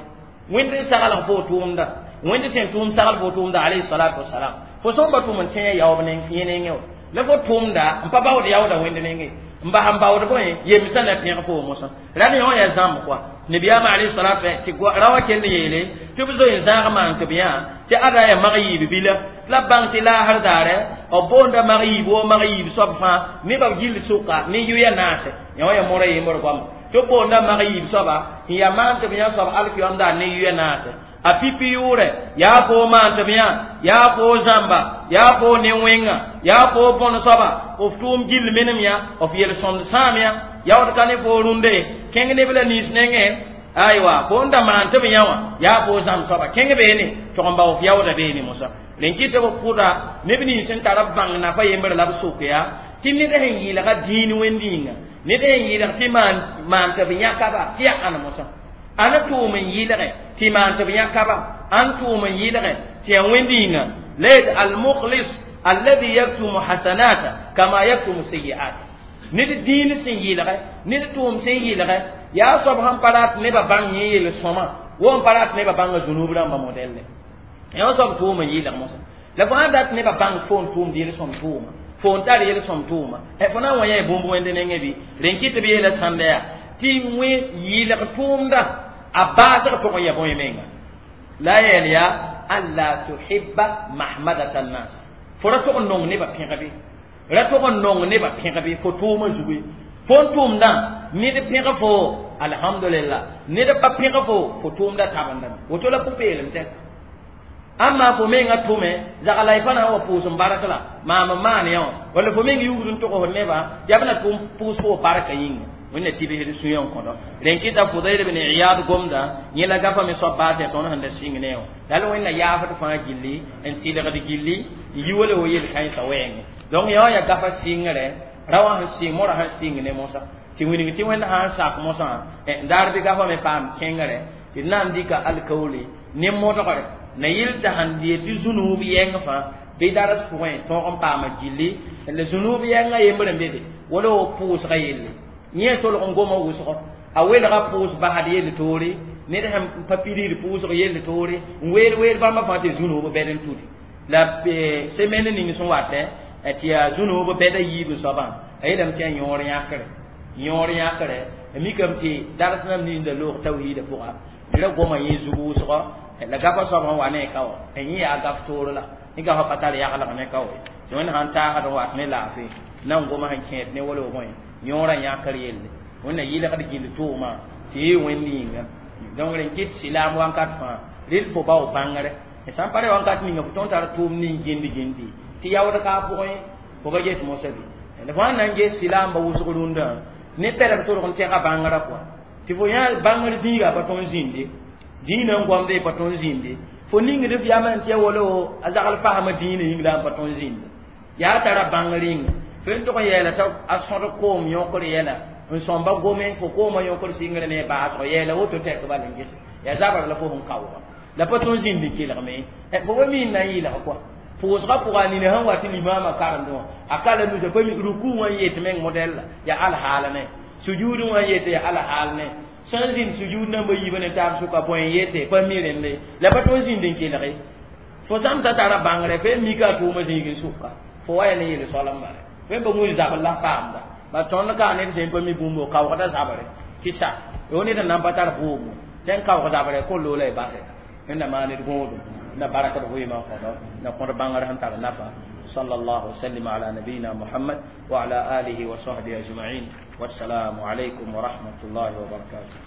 wẽnd n sagl fo tʋʋmdã wẽnd tẽn tʋʋm sagl fo tʋʋmda alayhi salatu wasalam fo sõn ba tʋʋm n tẽ yaoob yẽ nengẽ wa la fo tʋʋmda n pa baood yaooda wẽnd nengẽ n n bas n baood bõe yemsã na pẽg foo mosã ra ne yõ yaa zãmb koa nabiyaamã alayhi salatu tɩ ra wã kell n yeele tɩ b zoe n zãag maan tɩ b yã tɩ ada yaa mag yiib bila la b bãng tɩ laasr daare b boonda mag yiib woo mag yiib soab fãa nebã b gill sʋka ne yʋya naase yã wã yaa mora yembr goama tɩ b boonda mag yiib soaba n yaa maan tɩ b yã soab alkiyam daar ne yʋya naase a pipi yʋʋrɛ yaa foo maan tɩ b yã yaa foo zãmba yaa foo ne-wẽnga yaa foo bõn soaba f tʋʋm gill menem yã f yel-sõmd sãam yã yaood ka ne foo rũnde kẽng neb la nins nengẽ aywa fo n da maan tɩ b yã wã yaa foo zãmb soaba kẽng beene tog n bao f yaooda beene mosã rẽn kɩ tɩ b pʋda neb nins sẽn tara b bãng nafa yembr la b sok yaa tɩ ned sẽn yɩɩlga dĩin wẽnd yĩnga ned sẽn yɩɩlg tɩ maan tɩ b yãkaba tɩ yaa ãn mosã ãn tʋʋm n yɩlge tɩ maan tɩ b yãkaba ãn tʋʋm n yɩlge tɩ yaa wẽnd yĩnga la yet almukhlis alladhi yaktumu hasanata kama yaktumu sayiat ned dĩin sẽn yɩlge ned tʋʋm sẽn yɩlge yaa soab sẽn pa rat nebã bãng yẽ yel-sõma wo n pa rat nebã bãnga zunub rãmba modɛlle yaa soab tʋʋm n yɩlg mosã la fo sãn dat nebã bãng fo n tʋʋmd yel-sõm tʋʋma fo n tar yel-sõm tʋʋma fo na n wa yã bũmb wẽnd nengẽ bɩ rẽn kɩ tɩ b yeela sãnda yaa tɩ wẽ yɩlg tʋʋmda a baasg tʋg n ya bõe menga la yɛl yaa alla tuhibba mahmadata nnas fo ra tʋg n nong nebã pẽgbe ra tʋg n nong nebã pẽgbe fo tʋʋmã zugu fo n tʋʋmdã ned pẽg fo alhamdulillah ned pa pẽg fo fo tʋʋmda tabendame woto la pʋ-peelem tɛka amma fo menga tʋme zagla y pa na n wa pʋʋs n bark la maam n maan yã wã walla fo meng yugd n tʋgs nebã yaa b na tʋm pʋʋs fo barka yĩnga wẽnna tibsd sũyã n kõdo rẽn kɩta Fudayl ibn Iyad gomda yẽ la gafa me soab baas yaa tõnd sẽn da sɩng ne wã la la wẽnna yaafd fãa gilli n tɩlgd gilli n yi wala wo yel-kãensã wɛɛngẽ donc yã wã yaa gafa sɩngre ra wã sẽn sɩng morã sẽn sɩng ne mosã tɩ wilg tɩ wẽnd sã n sak mosã n daar bɩ gafa me paam kẽngre tɩ d na n dɩka alkaoole ne modgre na yɩl tɩ sãn yet tɩ zũnuub yɛng fãa bɩ daras pʋgẽ tõog n paama gilli la zũnuub yɛngã yembr n bede wala wo pʋʋsga yelle yẽ tolg n goma wʋsgo a welga pʋʋs basd yell toore ned sẽn pa pidigd pʋʋsg yell toore n weel weel bãmba fãa tɩ zũnuub bɛd n tudi la semaine ning sẽn watẽ tɩ yaa zũnuub bɛda yiib soabã a yeelame tɩ yaa yõor yãkre yõor yãkre a mikame tɩ dars nam ninda loog tawhiida pʋga ra goma yẽ zug wʋsgo la gafa soab sẽn wa ne ka wã yẽ yaa gaf toor la yẽ gafa pa tar yaglg ne ka wa tɩ wẽnd sãn taasd n wat ne laafɩ na n goma sẽn kẽed ne wala bõe yõorã yãkr yelle wẽnna yɩlgd gill tʋʋmã tɩ yɩ wẽnd yĩnga donc rẽn kɩt silaam wãnkat fãa rel fo bao bãngre sãn pa re wãnkat ninga fo tõnd tar tʋʋm ning gĩnd gĩndi tɩ yaood ka a pʋgẽ fo ba get mosã bɩ la fo sãn na n ges silaamba wʋsg rũndã ne pɛlb tʋlg n tɛga bãngrã pʋa tɩ fo yã bãngr zĩiga pa tõnd zĩnde dĩinã n goamde pa tõnd zĩnde fo ningd f yam n tɩ ya wala a zagl fasma dĩinã yĩng la n pa tõnd zĩnde yaa tara bãngr yĩnga fo n tʋg n yɛɛla t'a a sõd koom yõkr yɛla n sõmba gome fo koomã yõkr sɩngr ne baasg yɛɛla woto tɛk bal n ges yaa zabr la fo sẽn kaooga la pa tõnd zĩnd n kelgme fo pa mi n na n yɩlg kɔa pʋʋsgã pʋga a nina sẽn wa tɩ limaamã karemdẽ wã a ka la nusa pa ruku wã n yet meng modɛl la yaa alhaal ne sujud wã n yet yaa alhaal ne sẽn zĩnd sujud nambã yiibã ne taab sʋka bõe n yete pa mi rẽnde la pa tõnd zĩnd n kelge fo sãn ta tara bãngre fo mika a tʋʋmã zĩig n sʋka fo wa ya ne yel soal n bare fo pa wĩr zabr la paamda ba tõnd ka ned sẽn pa mi bũmb kaoogda zabre tɩ sa yo ned n nan pa tar bʋʋmo tẽn kaoog zabrɛ kõn loola y basɛ wẽnna maan d gõodum na baraka d vɩɩmã kõdo na kõd bãngr sẽn tar nafa صلى الله وسلم على نبينا محمد وعلى آله وصحبه أجمعين والسلام عليكم ورحمة الله وبركاته.